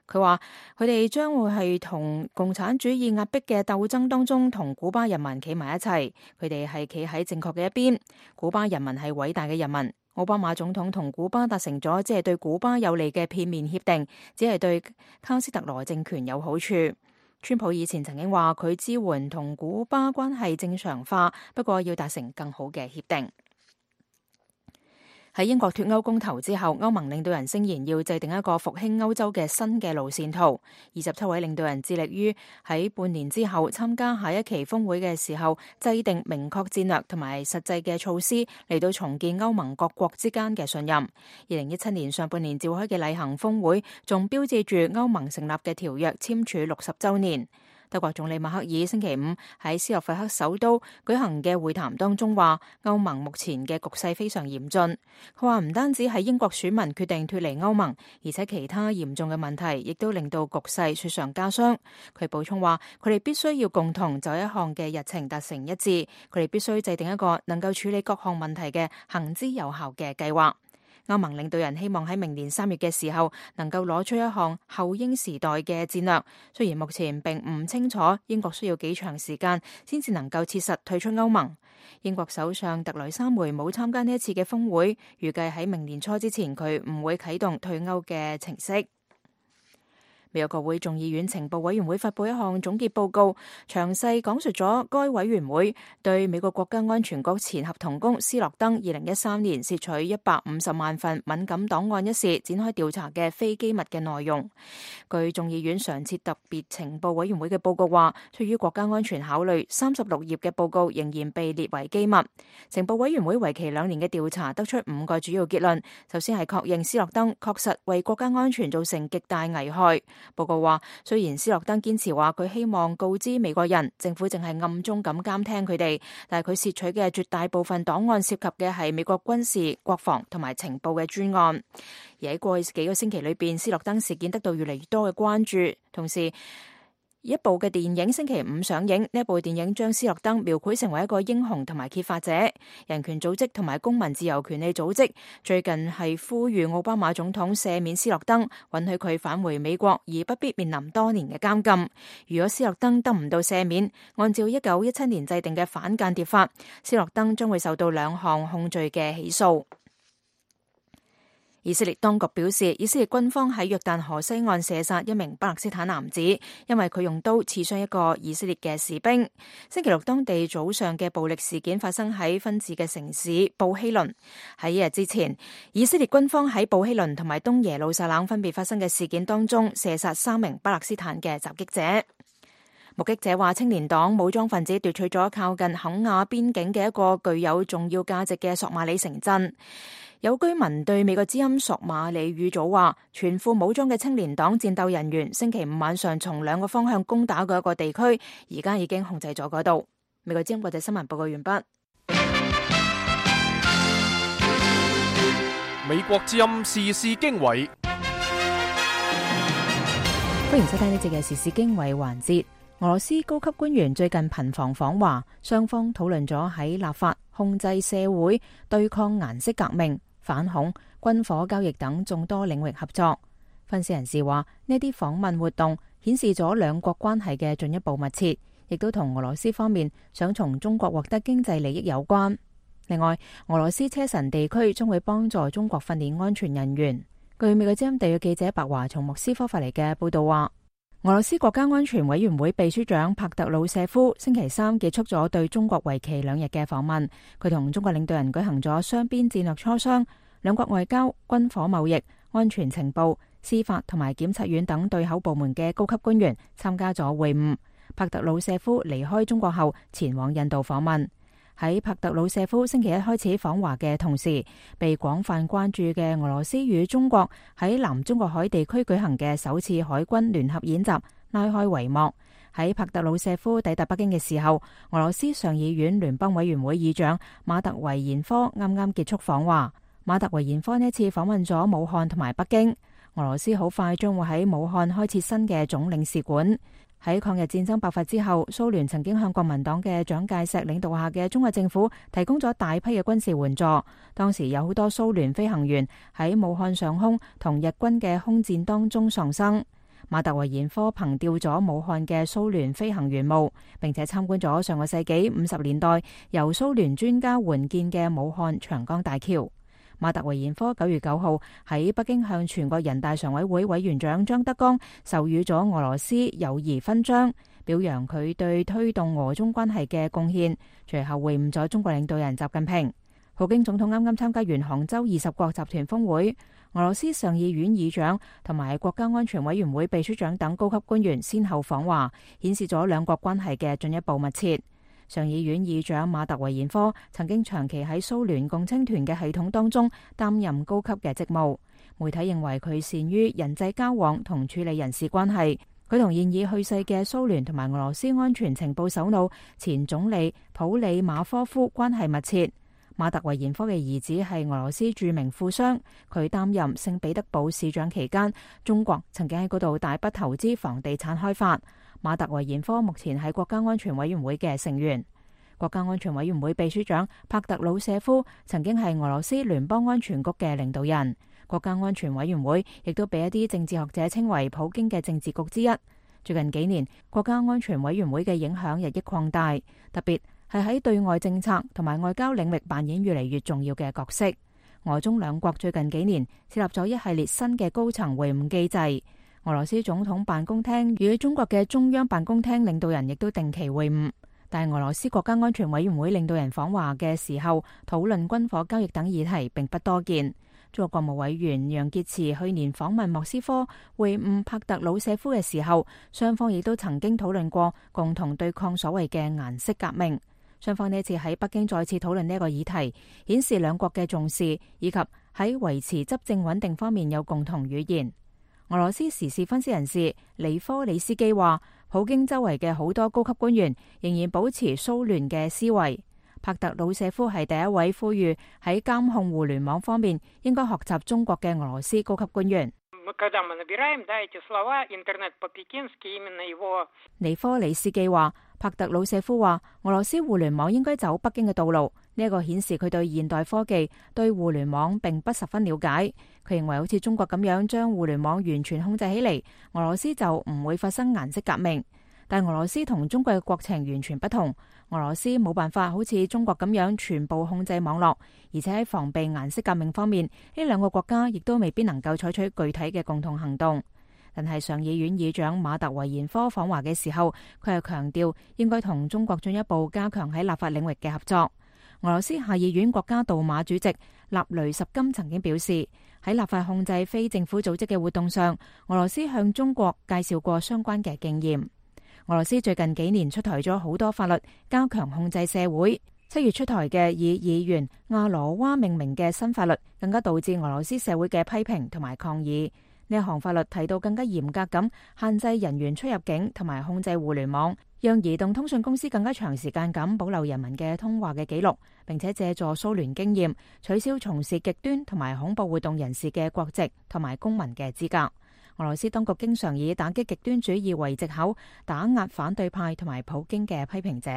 佢話佢哋將會係同共產主義壓迫嘅鬥爭當中同古巴人民企埋一齊，佢哋係企喺正確嘅一邊。古巴人民係偉大嘅人民。奧巴馬總統同古巴達成咗只係對古巴有利嘅片面協定，只係對卡斯特羅政權有好處。川普以前曾經話佢支援同古巴關係正常化，不過要達成更好嘅協定。喺英國脫歐公投之後，歐盟領導人聲言要制定一個復興歐洲嘅新嘅路線圖。27位領導人致力於喺半年之後參加下一期峰會嘅時候，制定明確戰略同埋實際嘅措施嚟到重建歐盟各國之間嘅信任。2017年上半年召開嘅例行峰會，仲標誌住歐盟成立嘅條約簽署60週年。德國總理默克爾星期五喺斯洛伐克首都舉行嘅會談當中話，歐盟目前嘅局勢非常嚴峻。佢話唔單止係英國選民決定脫離歐盟，而且其他嚴重嘅問題亦都令到局勢雪上加霜。佢補充話，佢哋必須要共同就一項嘅日程達成一致，佢哋必須制定一個能夠處理各項問題嘅行之有效嘅計劃。歐盟領導人希望喺明年3月嘅時候能夠攞出一項後英時代嘅戰略，雖然目前並唔清楚英國需要幾長時間先至能夠切實退出歐盟。英國首相特雷莎梅冇參加呢一次嘅峰會，預計喺明年初之前佢唔會啟動退歐嘅程式。美國國會眾議院情報委員會發佈一項總結報告，詳細講述咗該委員會對美國國家安全局前合同工斯諾登2013年竊取150萬份敏感檔案一事展開調查嘅非機密嘅內容。據眾議院常設特別情報委員會嘅報告話，出於國家安全考慮，36頁嘅報告仍然被列為機密。情報委員會為期2年嘅調查得出5個主要結論。首先係確認斯諾登確實為國家安全造成極大危害。報告話，雖然斯諾登堅持話佢希望告知美國人，政府淨係暗中咁監聽佢哋，但係佢竊取嘅絕大部分檔案涉及嘅係美國軍事、國防同埋情報嘅專案。而喺過去幾個星期裏邊，斯諾登事件得到越嚟越多嘅關注，同時一部嘅電影星期五上映，呢一部電影將斯諾登描繪成為一個英雄同埋揭發者。人權組織同埋公民自由權利組織最近係呼籲奧巴馬總統赦免斯諾登，允許佢返回美國，而不必面臨多年嘅監禁。如果斯諾登得唔到赦免，按照1917年制定嘅反間諜法，斯諾登將會受到2項控罪嘅起訴。以色列當局表示，以色列軍方喺約旦河西岸射殺一名巴勒斯坦男子，因為佢用刀刺傷一個以色列嘅士兵。星期六當地早上嘅暴力事件發生喺分治嘅城市布希倫。喺1日之前，以色列軍方喺布希倫同埋東耶路撒冷分別發生嘅事件當中射殺3名巴勒斯坦嘅襲擊者。目擊者話，青年黨武裝分子奪取咗靠近肯亞邊境嘅一個具有重要價值嘅索馬里城鎮。有居民對美國之音索馬里語組話，全副武裝嘅青年黨戰鬥人員星期五晚上從2個方向攻打嗰一個地區，而家已經控制咗嗰度。美國之音國際新聞報告完畢。美國之音時事經緯，歡迎收聽呢節嘅時事經緯環節。俄羅斯高級官員最近頻繁訪華，雙方討論咗喺立法、控制社會、對抗顏色革命、反恐、軍火交易等眾多領域合作。分析人士話，呢啲訪問活動顯示咗兩國關係嘅進一步密切，亦都同俄羅斯方面想從中國獲得經濟利益有關。另外，俄羅斯車臣地區將會幫助中國訓練安全人員。據美國之音特約記者白華從莫斯科發嚟嘅報道話，俄羅斯國家安全委員會秘書長帕特魯舍夫星期三結束咗對中國為期2日嘅訪問。佢同中國領導人舉行咗雙邊戰略磋商，兩國外交、軍火貿易、安全情報、司法同埋檢察院等對口部門嘅高級官員參加咗會晤。帕特魯舍夫離開中國後前往印度訪問。喺帕特魯舍夫星期一開始訪華嘅同時，被廣泛關注嘅俄羅斯與中國喺南中國海地區舉行嘅首次海軍聯合演習拉開帷幕。喺帕特魯舍夫抵達北京嘅時候，俄羅斯上議院聯邦委員會議長馬特維延科啱啱結束訪華。馬特維延科呢次訪問咗武漢同埋北京。俄羅斯好快將會喺武漢開設新嘅總領事館。喺抗日戰爭爆發之後，蘇聯曾經向國民黨嘅蔣介石領導下嘅中國政府提供咗大批嘅軍事援助。當時有好多蘇聯飛行員喺武漢上空同日軍嘅空戰當中喪生。馬特維延科憑吊咗武漢嘅蘇聯飛行員墓，並且參觀咗上個世紀50年代由蘇聯專家援建嘅武漢長江大橋。馬特維延科9月9號喺北京向全國人大常委會委員長張德江授予咗俄羅斯友誼勳章，表揚佢對推動俄中關係嘅貢獻。隨後會晤咗中國領導人習近平。普京總統啱啱參加完杭州20國集團峰會，俄羅斯上議院議長同埋國家安全委員會秘書長等高級官員先後訪華，顯示咗兩國關係嘅進一步密切。上議院議長馬特維延科曾經長期喺蘇聯共青團嘅系統當中擔任高級嘅職務。媒體認為佢善於人際交往同處理人事關係。佢同現已去世嘅蘇聯同埋俄羅斯安全情報首腦前總理普里馬科夫關係密切。馬特維延科嘅兒子係俄羅斯著名富商，佢擔任聖彼得堡市長期間，中國曾經喺嗰度大筆投資房地產開發。馬特維延科目前係國家安全委員會嘅成員。國家安全委員會秘書長帕特魯舍夫曾經係俄羅斯聯邦安全局嘅領導人。國家安全委員會亦都被一啲政治學者稱為普京嘅政治局之一。最近幾年，國家安全委員會嘅影響日益擴大，特別係喺對外政策同埋外交領域扮演越嚟越重要嘅角色。俄中兩國最近幾年設立咗一系列新嘅高層會晤機制。俄羅斯總統辦公廳與中國嘅中央辦公廳領導人亦都定期會晤，但係俄羅斯國家安全委員會領導人訪華嘅時候討論軍火交易等議題並不多見。中國國務委員楊潔篪去年訪問莫斯科會晤帕特魯舍夫嘅時候，雙方亦都曾經討論過共同對抗所謂嘅顏色革命。雙方呢次喺北京再次討論呢個議題，顯示兩國嘅重視以及喺維持執政穩定方面有共同語言。俄羅斯時事分析人士尼科里斯基話，普京周圍嘅好多高級官員仍然保持蘇聯嘅思維。帕特魯舍夫係第一位呼籲喺監控互聯網方面應該學習中國嘅俄羅斯高級官員。尼科里斯基話，帕特魯舍夫話，俄羅斯互聯網應該走北京嘅道路。呢個顯示佢對現代科技、對互聯網並不十分了解。佢認為好似中國咁樣將互聯網完全控制起嚟，俄羅斯就唔會發生顏色革命。但俄羅斯同中國嘅國情完全不同，俄羅斯冇辦法好似中國咁樣全部控制網絡，而且喺防備顏色革命方面，呢兩個國家亦都未必能夠採取具體嘅共同行動。但係上議院議長馬特維延科訪華嘅時候，佢又強調應該同中國進一步加強喺立法領域嘅合作。俄羅斯下議院國家杜馬主席納雷什金曾經表示，喺立法控制非政府組織嘅活動上，俄羅斯向中國介紹過相關嘅經驗。俄羅斯最近幾年出台咗好多法律，加強控制社會。7月出台嘅以議員亞羅娃命名嘅新法律，更加導致俄羅斯社會嘅批評同埋抗議。呢一項法律提到更加嚴格咁限制人員出入境，同埋控制互聯網，讓移動通訊公司更加長時間咁保留人民嘅通話嘅記錄，並且借助蘇聯經驗，取消從事極端同埋恐怖活動人士嘅國籍同埋公民嘅資格。俄羅斯當局經常以打擊極端主義為藉口，打壓反對派同埋普京嘅批評者。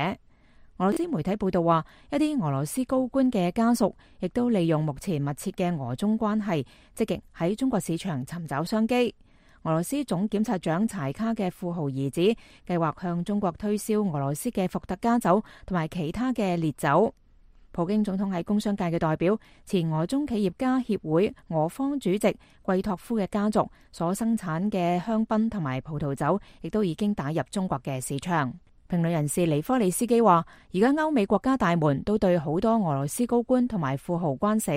俄羅斯媒體報道話，一啲俄羅斯高官嘅家屬亦都利用目前密切嘅俄中關係，積極喺中國市場尋找商機。俄羅斯總檢察長柴卡嘅富豪兒子計劃向中國推銷俄羅斯嘅伏特加酒同埋其他嘅烈酒。普京總統喺工商界嘅代表、前俄中企業家協會俄方主席季托夫嘅家族所生產嘅香檳同埋葡萄酒，亦都已經打入中國嘅市場。評論人士尼科利斯基話，而家歐美國家大門都對好多俄羅斯高官同埋富豪關死。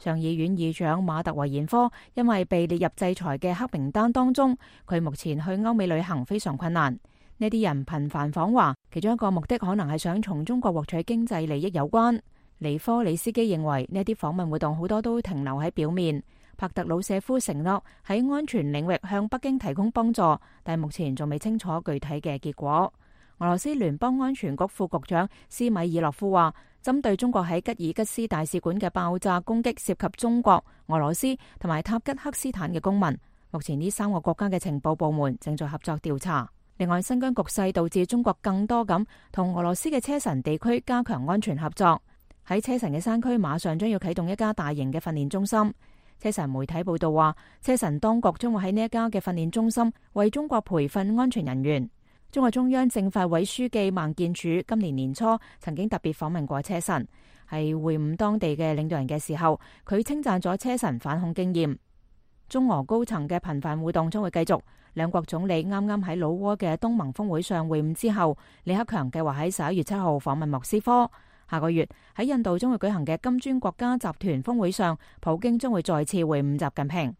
上議院議長馬特維延科因為被列入制裁嘅黑名單當中，佢目前去歐美旅行非常困難。呢啲人頻繁訪華，其中一個目的可能係想從中國獲取經濟利益有關。尼科里斯基認為呢啲訪問活動好多都停留喺表面。帕特魯舍夫承諾喺安全領域向北京提供幫助，但目前仲未清楚具體嘅結果。俄羅斯聯邦安全局副局長斯米爾諾夫話，針對中國喺吉爾吉斯大使館嘅爆炸攻擊涉及中國、俄羅斯同埋塔吉克斯坦嘅公民。目前呢3個國家嘅情報部門正在合作調查。另外，新疆局勢導致中國更多咁同俄羅斯嘅車臣地區加強安全合作。喺車臣嘅山區馬上將要啟動一家大型嘅訓練中心。車臣媒體報道話，車臣當局將會喺呢一家嘅訓練中心為中國培訓安全人員。中國中央政法委書記孟建柱今年年初曾經特別訪問過車臣，喺會晤當地嘅領導人嘅時候，佢稱讚咗車臣反恐經驗。中俄高層嘅頻繁互動將會繼續。兩國總理啱啱喺老撾嘅東盟峰會上會晤之後，李克強計劃喺11月7號訪問莫斯科。下個月喺印度將會舉行嘅金磚國家集團峰會上，普京將會再次會晤習近平。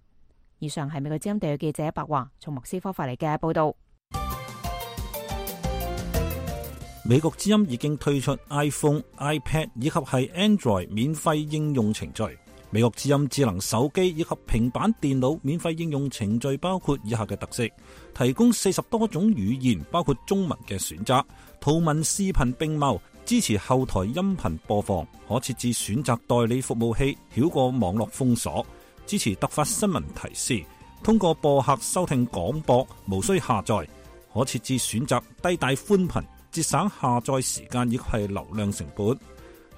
以上係美國之音地嘅記者白華從莫斯科發嚟嘅報道。美國之音已經推出 iPhone、iPad 以及係 Android 免費應用程序。美國之音智能手機以及平板電腦免費應用程序包括以下嘅特色：提供40多種語言，包括中文嘅選擇，圖文視頻並茂，支持後台音頻播放，可設置選擇代理服務器，繞過網絡封鎖，支持突發新聞提示，通過播客收聽廣播，無需下載，可設置選擇低帶寬頻，節省下載時間以及係流量成本。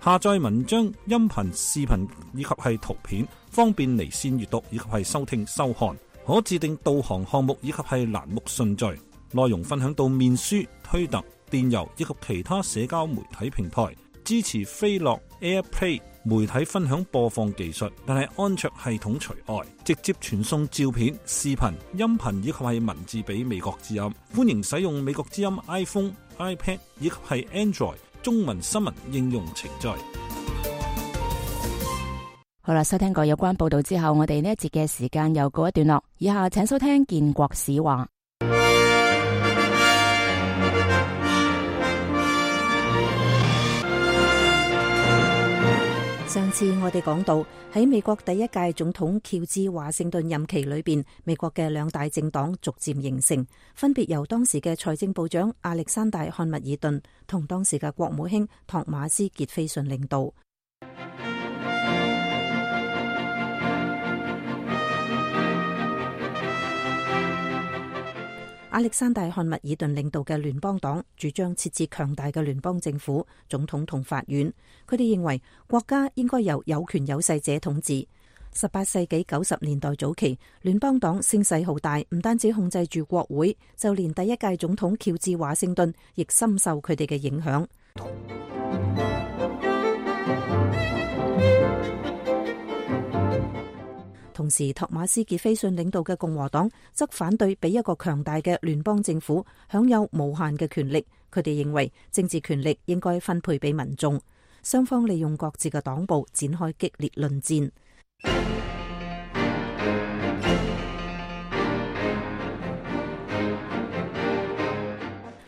下載文章、音頻、視頻以及係圖片，方便離線閱讀以及係收聽收看。可自定導航項目以及係欄目順序。內容分享到面書、推特、電郵以及其他社交媒體平台。支持飛樂 AirPlay 媒體分享播放技術，但係安卓系統除外。直接傳送照片、視頻、音頻以及係文字俾美國之音。歡迎使用美國之音 iPhone、iPad 以及係 Android 中文新聞應用程序。好啦，收聽過有關報道之後，我哋呢一節嘅時間又告一段落。以下請收聽建國史話。上次我哋講到喺美國第一屆總統喬治華盛頓任期裏邊，美國嘅兩大政黨逐漸形成，分別由當時嘅財政部長亞歷山大漢密爾頓同當時嘅國務卿托馬斯傑斐遜領導。亞歷山大漢密爾頓領導嘅聯邦黨主張設置強大嘅聯邦政府、總統同法院。佢哋認為國家應該由有權有勢者統治。18世紀90年代早期，聯邦黨聲勢浩大，唔單止控制住國會，就連第一屆總統喬治華盛頓亦深受佢哋嘅影響。同時，托馬斯傑斐遜領導嘅共和黨則反對俾一個強大嘅聯邦政府享有無限嘅權力。佢哋認為政治權力應該分配俾民眾。雙方利用各自嘅黨部展開激烈論戰。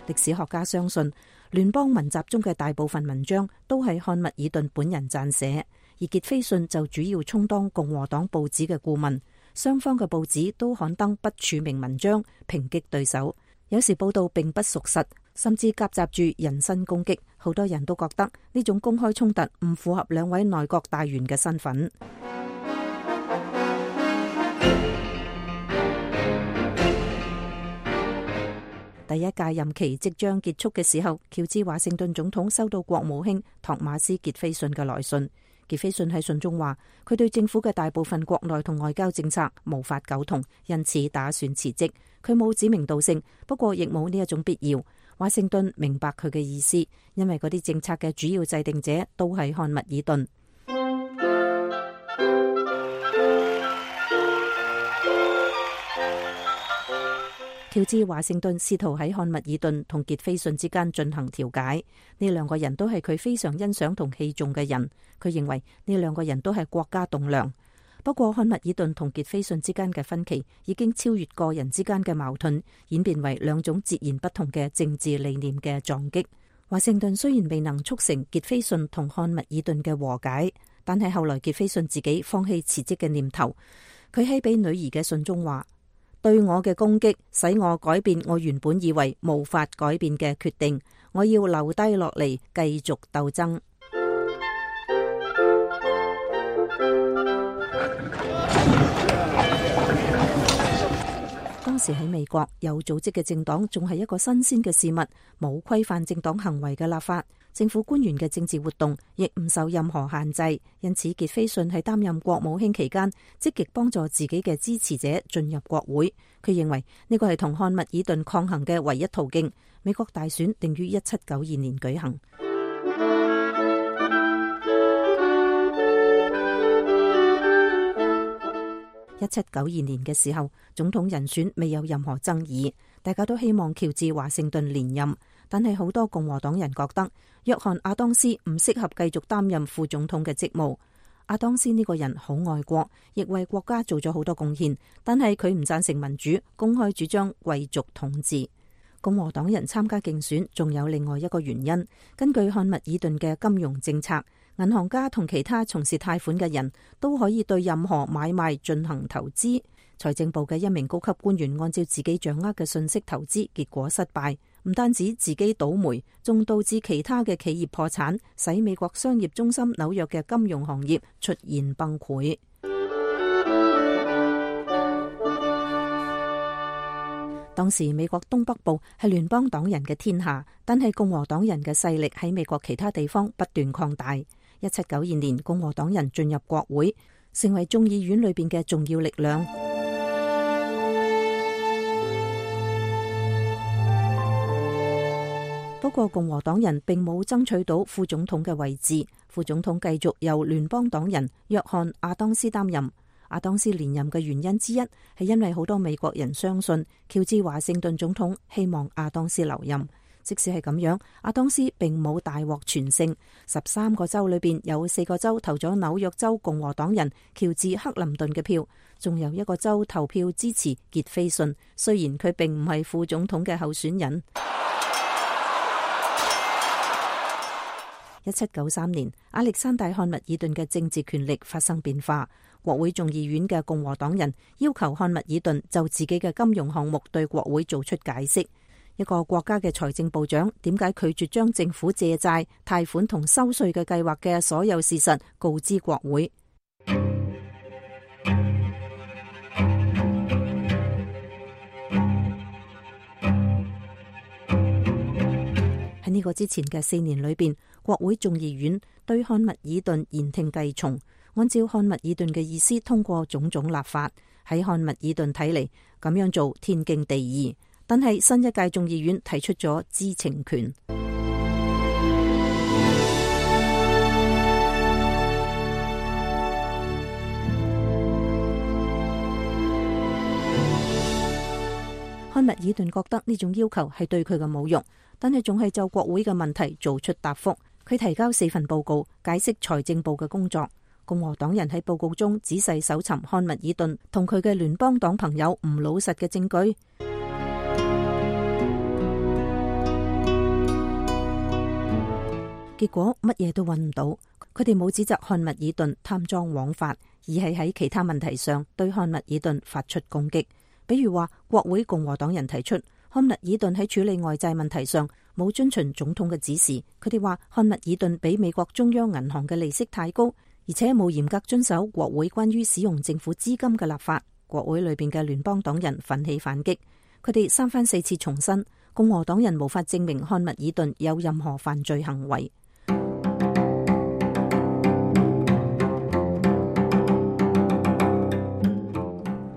歷史學家相信，聯邦文集中嘅大部分文章都係漢密爾頓本人撰寫，而傑斐遜就主要充當共和黨報紙嘅顧問。雙方嘅報紙都刊登不署名文章，抨擊對手。有時報道並不屬實，甚至夾雜住人身攻擊。好多人都覺得呢種公開衝突唔符合兩位內閣大員嘅身份。第一屆任期即將結束嘅時候，喬治華盛頓總統收到國務卿托馬斯傑斐遜嘅來信。傑斐遜喺信中話，佢對政府嘅大部分國內同外交政策無法苟同，因此打算辭職。佢冇指名道姓，不過亦冇呢一種必要。華盛頓明白佢嘅意思，因為嗰啲政策嘅主要制定者都係漢密爾頓。喬治華盛頓試圖喺漢密爾頓同傑斐遜之間進行調解，呢兩個人都係佢非常欣賞同器重嘅人。佢認為呢兩個人都係國家棟樑。不過漢密爾頓同傑斐遜之間嘅分歧已經超越個人之間嘅矛盾，演變為兩種截然不同嘅政治理念嘅撞擊。華盛頓雖然未能促成傑斐遜同漢密爾頓嘅和解，但係後來傑斐遜自己放棄辭職嘅念頭。佢喺俾女兒嘅信中話，對我嘅攻擊使我改變我原本以為無法改變嘅決定，我要留低落嚟繼續鬥爭。當時喺美國，有組織嘅政黨仲係一個新鮮嘅事物，冇規範政黨行為嘅立法，政府官員嘅政治活動亦唔受任何限制。因此傑斐遜喺擔任國務卿期間，積極幫助自己嘅支持者進入國會。佢認為呢個係同漢密爾頓抗衡嘅唯一途徑。美國大選定於1792年舉行。1792年嘅時候，總統人選未有任何爭議，大家都希望喬治華盛頓連任。但係好多共和黨人覺得約翰亞當斯唔適合繼續擔任副總統嘅職務。亞當斯呢個人好愛國，亦為國家做咗好多貢獻，但係佢唔贊成民主，公開主張貴族統治。共和黨人參加競選仲有另外一個原因，根據漢密爾頓嘅金融政策，銀行家同其他從事貸款嘅人都可以對任何買賣進行投資。財政部嘅一名高級官員按照自己掌握嘅信息投資，結果失敗，唔單止自己倒霉，仲導致其他嘅企業破產，使美國商業中心紐約嘅金融行業出現崩潰。當時美國東北部係聯邦黨人嘅天下，但係共和黨人嘅勢力喺美國其他地方不斷擴大。1792年，共和黨人進入國會，成為眾議院裏邊嘅重要力量。不過共和黨人並冇爭取到副總統嘅位置，副總統繼續由聯邦黨人約翰亞當斯擔任。亞當斯連任嘅原因之一係因為好多美國人相信喬治華盛頓總統希望亞當斯留任。即使係咁樣，亞當斯並冇大獲全勝。13個州裏邊有4個州投咗紐約州共和黨人喬治克林頓嘅票，仲有1個州投票支持傑斐遜，雖然佢並唔係副總統嘅候選人。1793年，亞歷山大漢密爾頓嘅政治權力發生變化。國會眾議院嘅共和黨人要求漢密爾頓就自己嘅金融項目對國會做出解釋。一個國家嘅財政部長點解拒絕將政府借債、貸款同收稅嘅計劃嘅所有事實告知國會？喺呢個之前嘅4年裏邊，國會眾議院對漢密爾頓言聽計從，按照漢密爾頓嘅意思通過種種立法。喺漢密爾頓睇嚟，咁樣做天經地義。但係新一屆眾議院提出咗知情權。漢密爾頓覺得呢種要求係對佢嘅侮辱，但係仲係就國會嘅問題做出答覆。佢提交4份報告，解釋財政部嘅工作。共和黨人喺報告中仔細搜尋漢密爾頓同佢嘅聯邦黨朋友唔老實嘅證據。結果乜嘢都揾唔到。佢哋冇指責漢密爾頓貪贓枉法，而係喺其他問題上對漢密爾頓發出攻擊。比如話，國會共和黨人提出漢密爾頓喺處理外債問題上冇遵循總統嘅指示。佢哋話漢密爾頓比美國中央銀行嘅利息太高，而且冇嚴格遵守國會關於使用政府資金嘅立法。國會裏邊嘅聯邦黨人奮起反擊，佢哋三番四次重申共和黨人無法證明漢密爾頓有任何犯罪行為。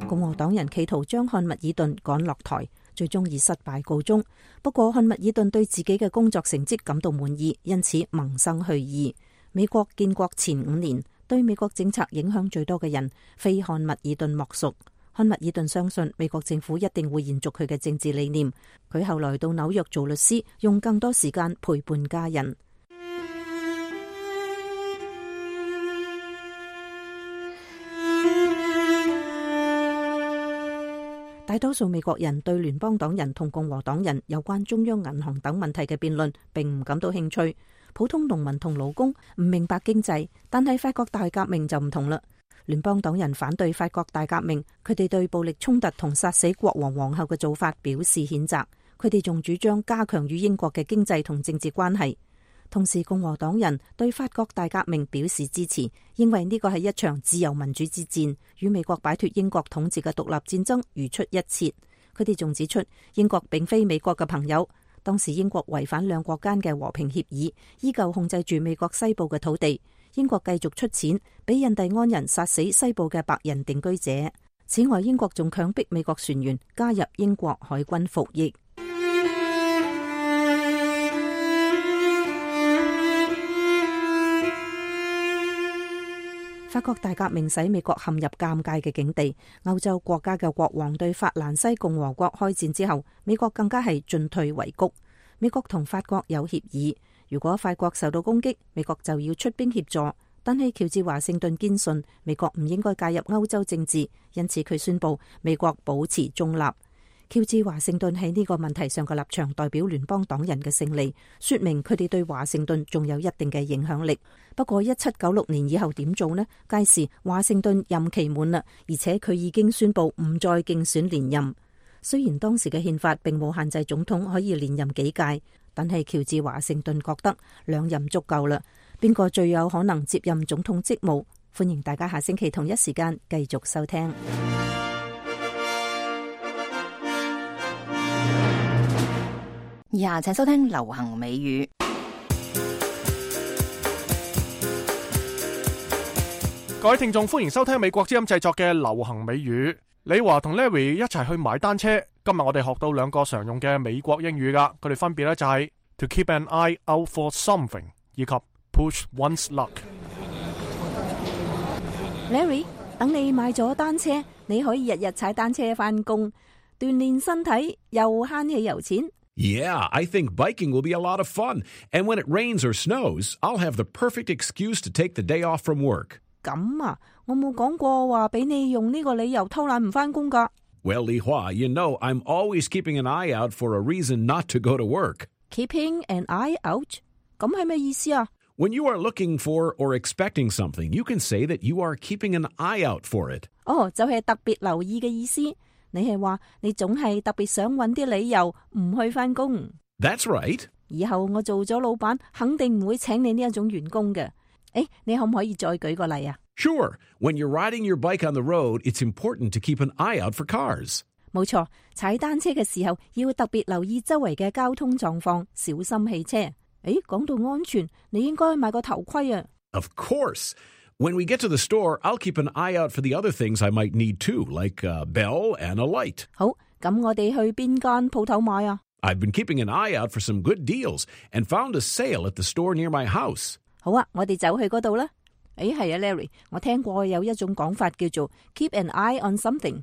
共和黨人企圖將漢密爾頓趕落台，最終以失敗告終。不過漢密爾頓對自己嘅工作成績感到滿意，因此萌生去意。美國建國前5年，對美國政策影響最多嘅人非漢密爾頓莫屬。漢密爾頓相信美國政府一定會延續佢嘅政治理念。佢後來到紐約做律師，用更多時間陪伴家人。大多數美國人對聯邦黨人同共和黨人有關中央銀行等問題嘅辯論並唔感到興趣。普通農民同勞工唔明白經濟，但係法國大革命就唔同啦。聯邦黨人反對法國大革命，佢哋對暴力衝突同殺死國王皇后嘅做法表示譴責。佢哋仲主張加強與英國嘅經濟同政治關係。同時，共和黨人對法國大革命表示支持，認為呢個係一場自由民主之戰，與美國擺脫英國統治嘅獨立戰爭如出一轍。佢哋仲指出，英國並非美國嘅朋友。當時英國違反兩國間嘅和平協議，依舊控制住美國西部嘅土地。英國繼續出錢俾印第安人殺死西部嘅白人定居者。此外，英國仲強迫美國船員加入英國海軍服役。法國大革命使美國陷入尷尬嘅境地。歐洲國家嘅國王對法蘭西共和國開戰之後，美國更加係進退維谷。美國同法國有協議，如果法國受到攻擊，美國就要出兵協助。但係喬治華盛頓堅信美國唔應該介入歐洲政治，因此佢宣布美國保持中立。喬治華盛頓喺呢個問題上嘅立場代表聯邦黨人嘅勝利，說明佢哋對華盛頓仲有一定嘅影響力。不過1796年以後點做呢？屆時華盛頓任期滿啦，而且佢已經宣布唔再競選連任。雖然當時嘅憲法並冇限制總統可以連任幾屆，但係喬治華盛頓覺得2任足夠啦。邊個最有可能接任總統職務？歡迎大家下星期同一時間繼續收聽。以下請收聽流行美語。各位聽眾，歡迎收聽美國之音製作嘅流行美語。李華同 Larry 一齊去買單車。今日我哋學到2個常用嘅美國英語噶，佢哋分別咧就係 to keep an eye out for something 以及 push one's luck。 Larry， 等你買咗單車，你可以日日踩單車返工，鍛煉身體又慳汽油錢。Yeah, I think biking will be a lot of fun. And when it rains or snows, I'll have the perfect excuse to take the day off from work. 咁啊，我冇講過話俾你用呢個理由偷懶唔返工㗎。Well, Li Hua, you know I'm always keeping an eye out for a reason not to go to work. Keeping an eye out? 咁係咩意思啊？ When you are looking for or expecting something, you can say that you are keeping an eye out for it. 哦，就係特別留意嘅意思。你係話你總係特別想揾啲理由唔去返工。That's right. 以後我做咗老闆，肯定唔會請你呢一種員工嘅。誒，你可唔可以再舉個例啊？ Sure. When you're riding your bike on the road, it's important to keep an eye out for cars. 冇錯，踩單車嘅時候要特別留意周圍嘅交通狀況，小心汽車。誒，講到安全，你應該買個頭盔啊。Of course. When we get to the store, I'll keep an eye out for the other things I might need too, like a bell and a light. 好，咁我哋去邊間鋪頭買啊？ I've been keeping an eye out for some good deals and found a sale at the store near my house. 好啊，我哋走去嗰度啦。誒，係啊 ，Larry， 我聽過有一種講法叫做 keep an eye on something。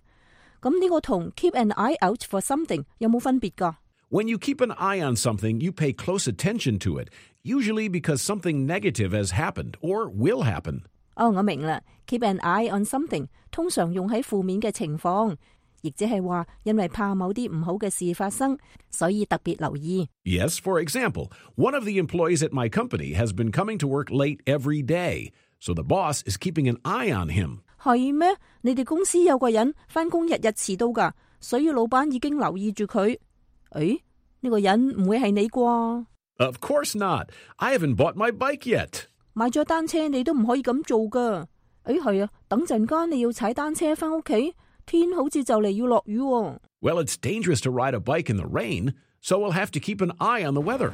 咁呢個同 keep an eye out for something 有冇分別㗎？ When you keep an eye on something, you pay close attention to it, usually because something negative has happened or will happen. 哦，我明啦。Keep an eye on something 通常用喺負面嘅情況，而亦即係話因為怕某啲唔好嘅事發生，所以特別留意。Yes, for example, one of the employees at my company has been coming to work late every day, so the boss is keeping an eye on him. 係咩？你哋公司有個人返工日日遲到㗎，所以老闆已經留意住佢。誒，呢個人唔會係你啩？ Of course not. I haven't bought my bike yet. 買咗單車你都唔可以咁做㗎。誒，係啊，等陣間你要踩單車返屋企，天好似就嚟要落雨喎。Well, it's dangerous to ride a bike in the rain, so we'll have to keep an eye on the weather.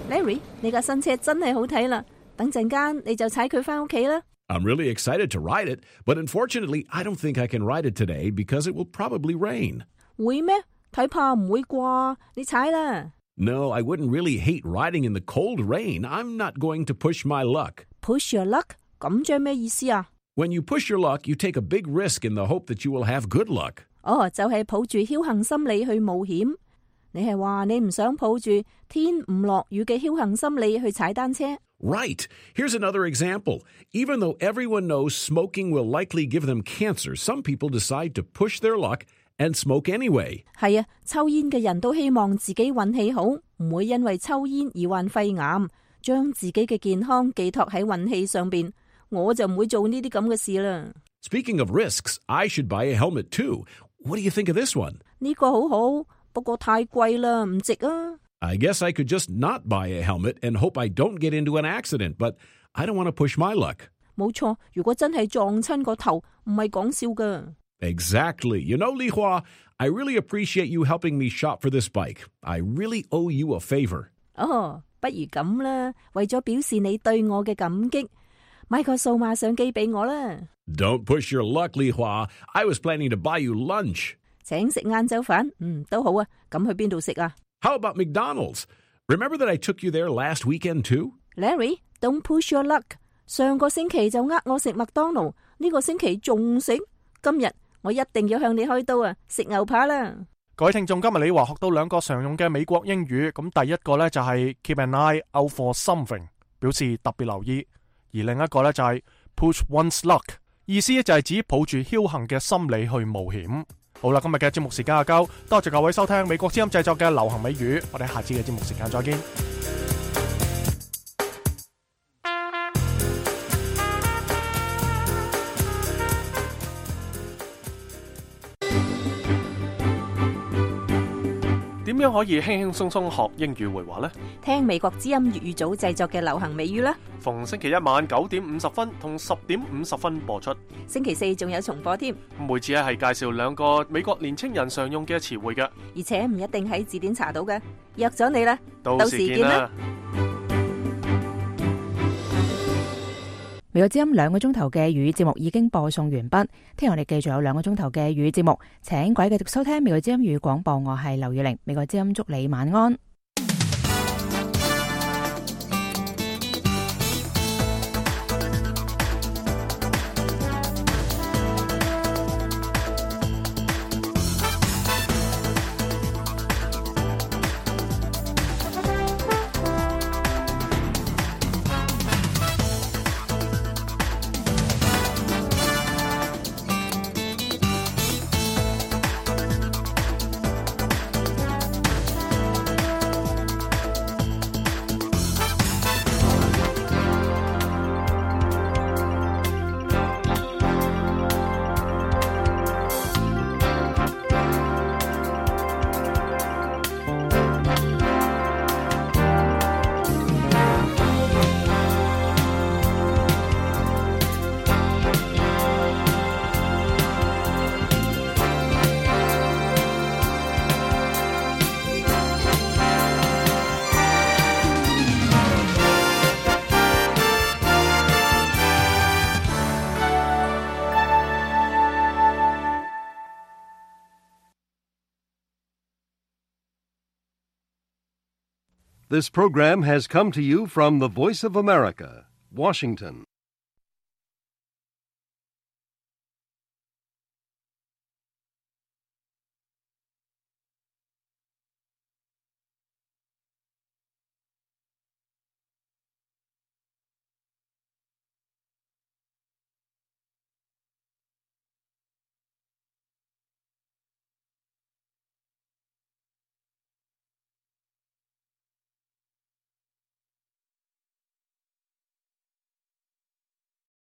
Larry， 你架新車真係好睇啦，等陣間你就踩佢返屋企啦。I'm really excited to ride it, but unfortunately, I don't think I can ride it today because it will probably rain. 會咩？睇怕唔會啩？你踩啦。No, I wouldn't really hate riding in the cold rain. I'm not going to push my luck. Push your luck？ 咁即係咩意思啊？ When you push your luck, you take a big risk in the hope that you will have good luck. 哦，就係抱住僥倖心理去冒險。你係話你唔想抱住天唔落雨嘅僥倖心理去踩單車？ Right. Here's another example. Even though everyone knows smoking will likely give them cancer, some people decide to push their luck and smoke anyway. 係啊，抽煙嘅人都希望自己運氣好，唔會因為抽煙而患肺癌，將自己嘅健康寄託喺運氣上邊。我就唔會做呢啲咁嘅事啦。Speaking of risks, I should buy a helmet too. What do you think of this one? 呢個好好，不過太貴啦，唔值啊。I guess I could just not buy a helmet and hope I don't get into an accident, but I don't want to push my luck. 冇錯，如果真係撞親個頭，唔係講笑㗎。Exactly. You know, Li Hua, I really appreciate you helping me shop for this bike. I really owe you a favor. 哦，不如咁啦，為咗表示你對我嘅感激，買個數碼相機俾我啦。Don't push your luck, Li Hua. I was planning to buy you lunch. 請食晏晝飯，都好啊。咁去邊度食啊？ How about McDonald's? Remember that I took you there last weekend too? Larry, don't push your luck. 上個星期就我食麥當勞，呢個星期仲食。今日我一定要向你開刀啊！食牛扒啦！各位聽眾，今日你話學到兩個常用嘅美國英語，咁第一個呢就係 keep an eye out for something， 表示特別留意；而另一個呢就係 push one's luck， 意思就係指抱住僥倖嘅心理去冒險。好啦，今日嘅節目時間就夠，多謝各位收聽美國之音製作嘅流行美語，我哋下次嘅節目時間再見。點樣可以輕輕鬆鬆學英語會話呢？聽美國之音粵語組製作嘅流行美語啦。逢星期一晚9:50同10:50播出。星期四仲有重播添。每次係介紹兩個美國年青人常用嘅詞彙嘅，而且唔一定喺字典查到嘅。約咗你啦，到時見啦。美國之音2個鐘頭嘅粵語節目已經播送完畢，聽日我哋繼續有2個鐘頭嘅粵語節目，請各位繼續收聽美國之音粵語廣播，我係劉宇玲，美國之音祝你晚安。This program has come to you from the Voice of America, Washington.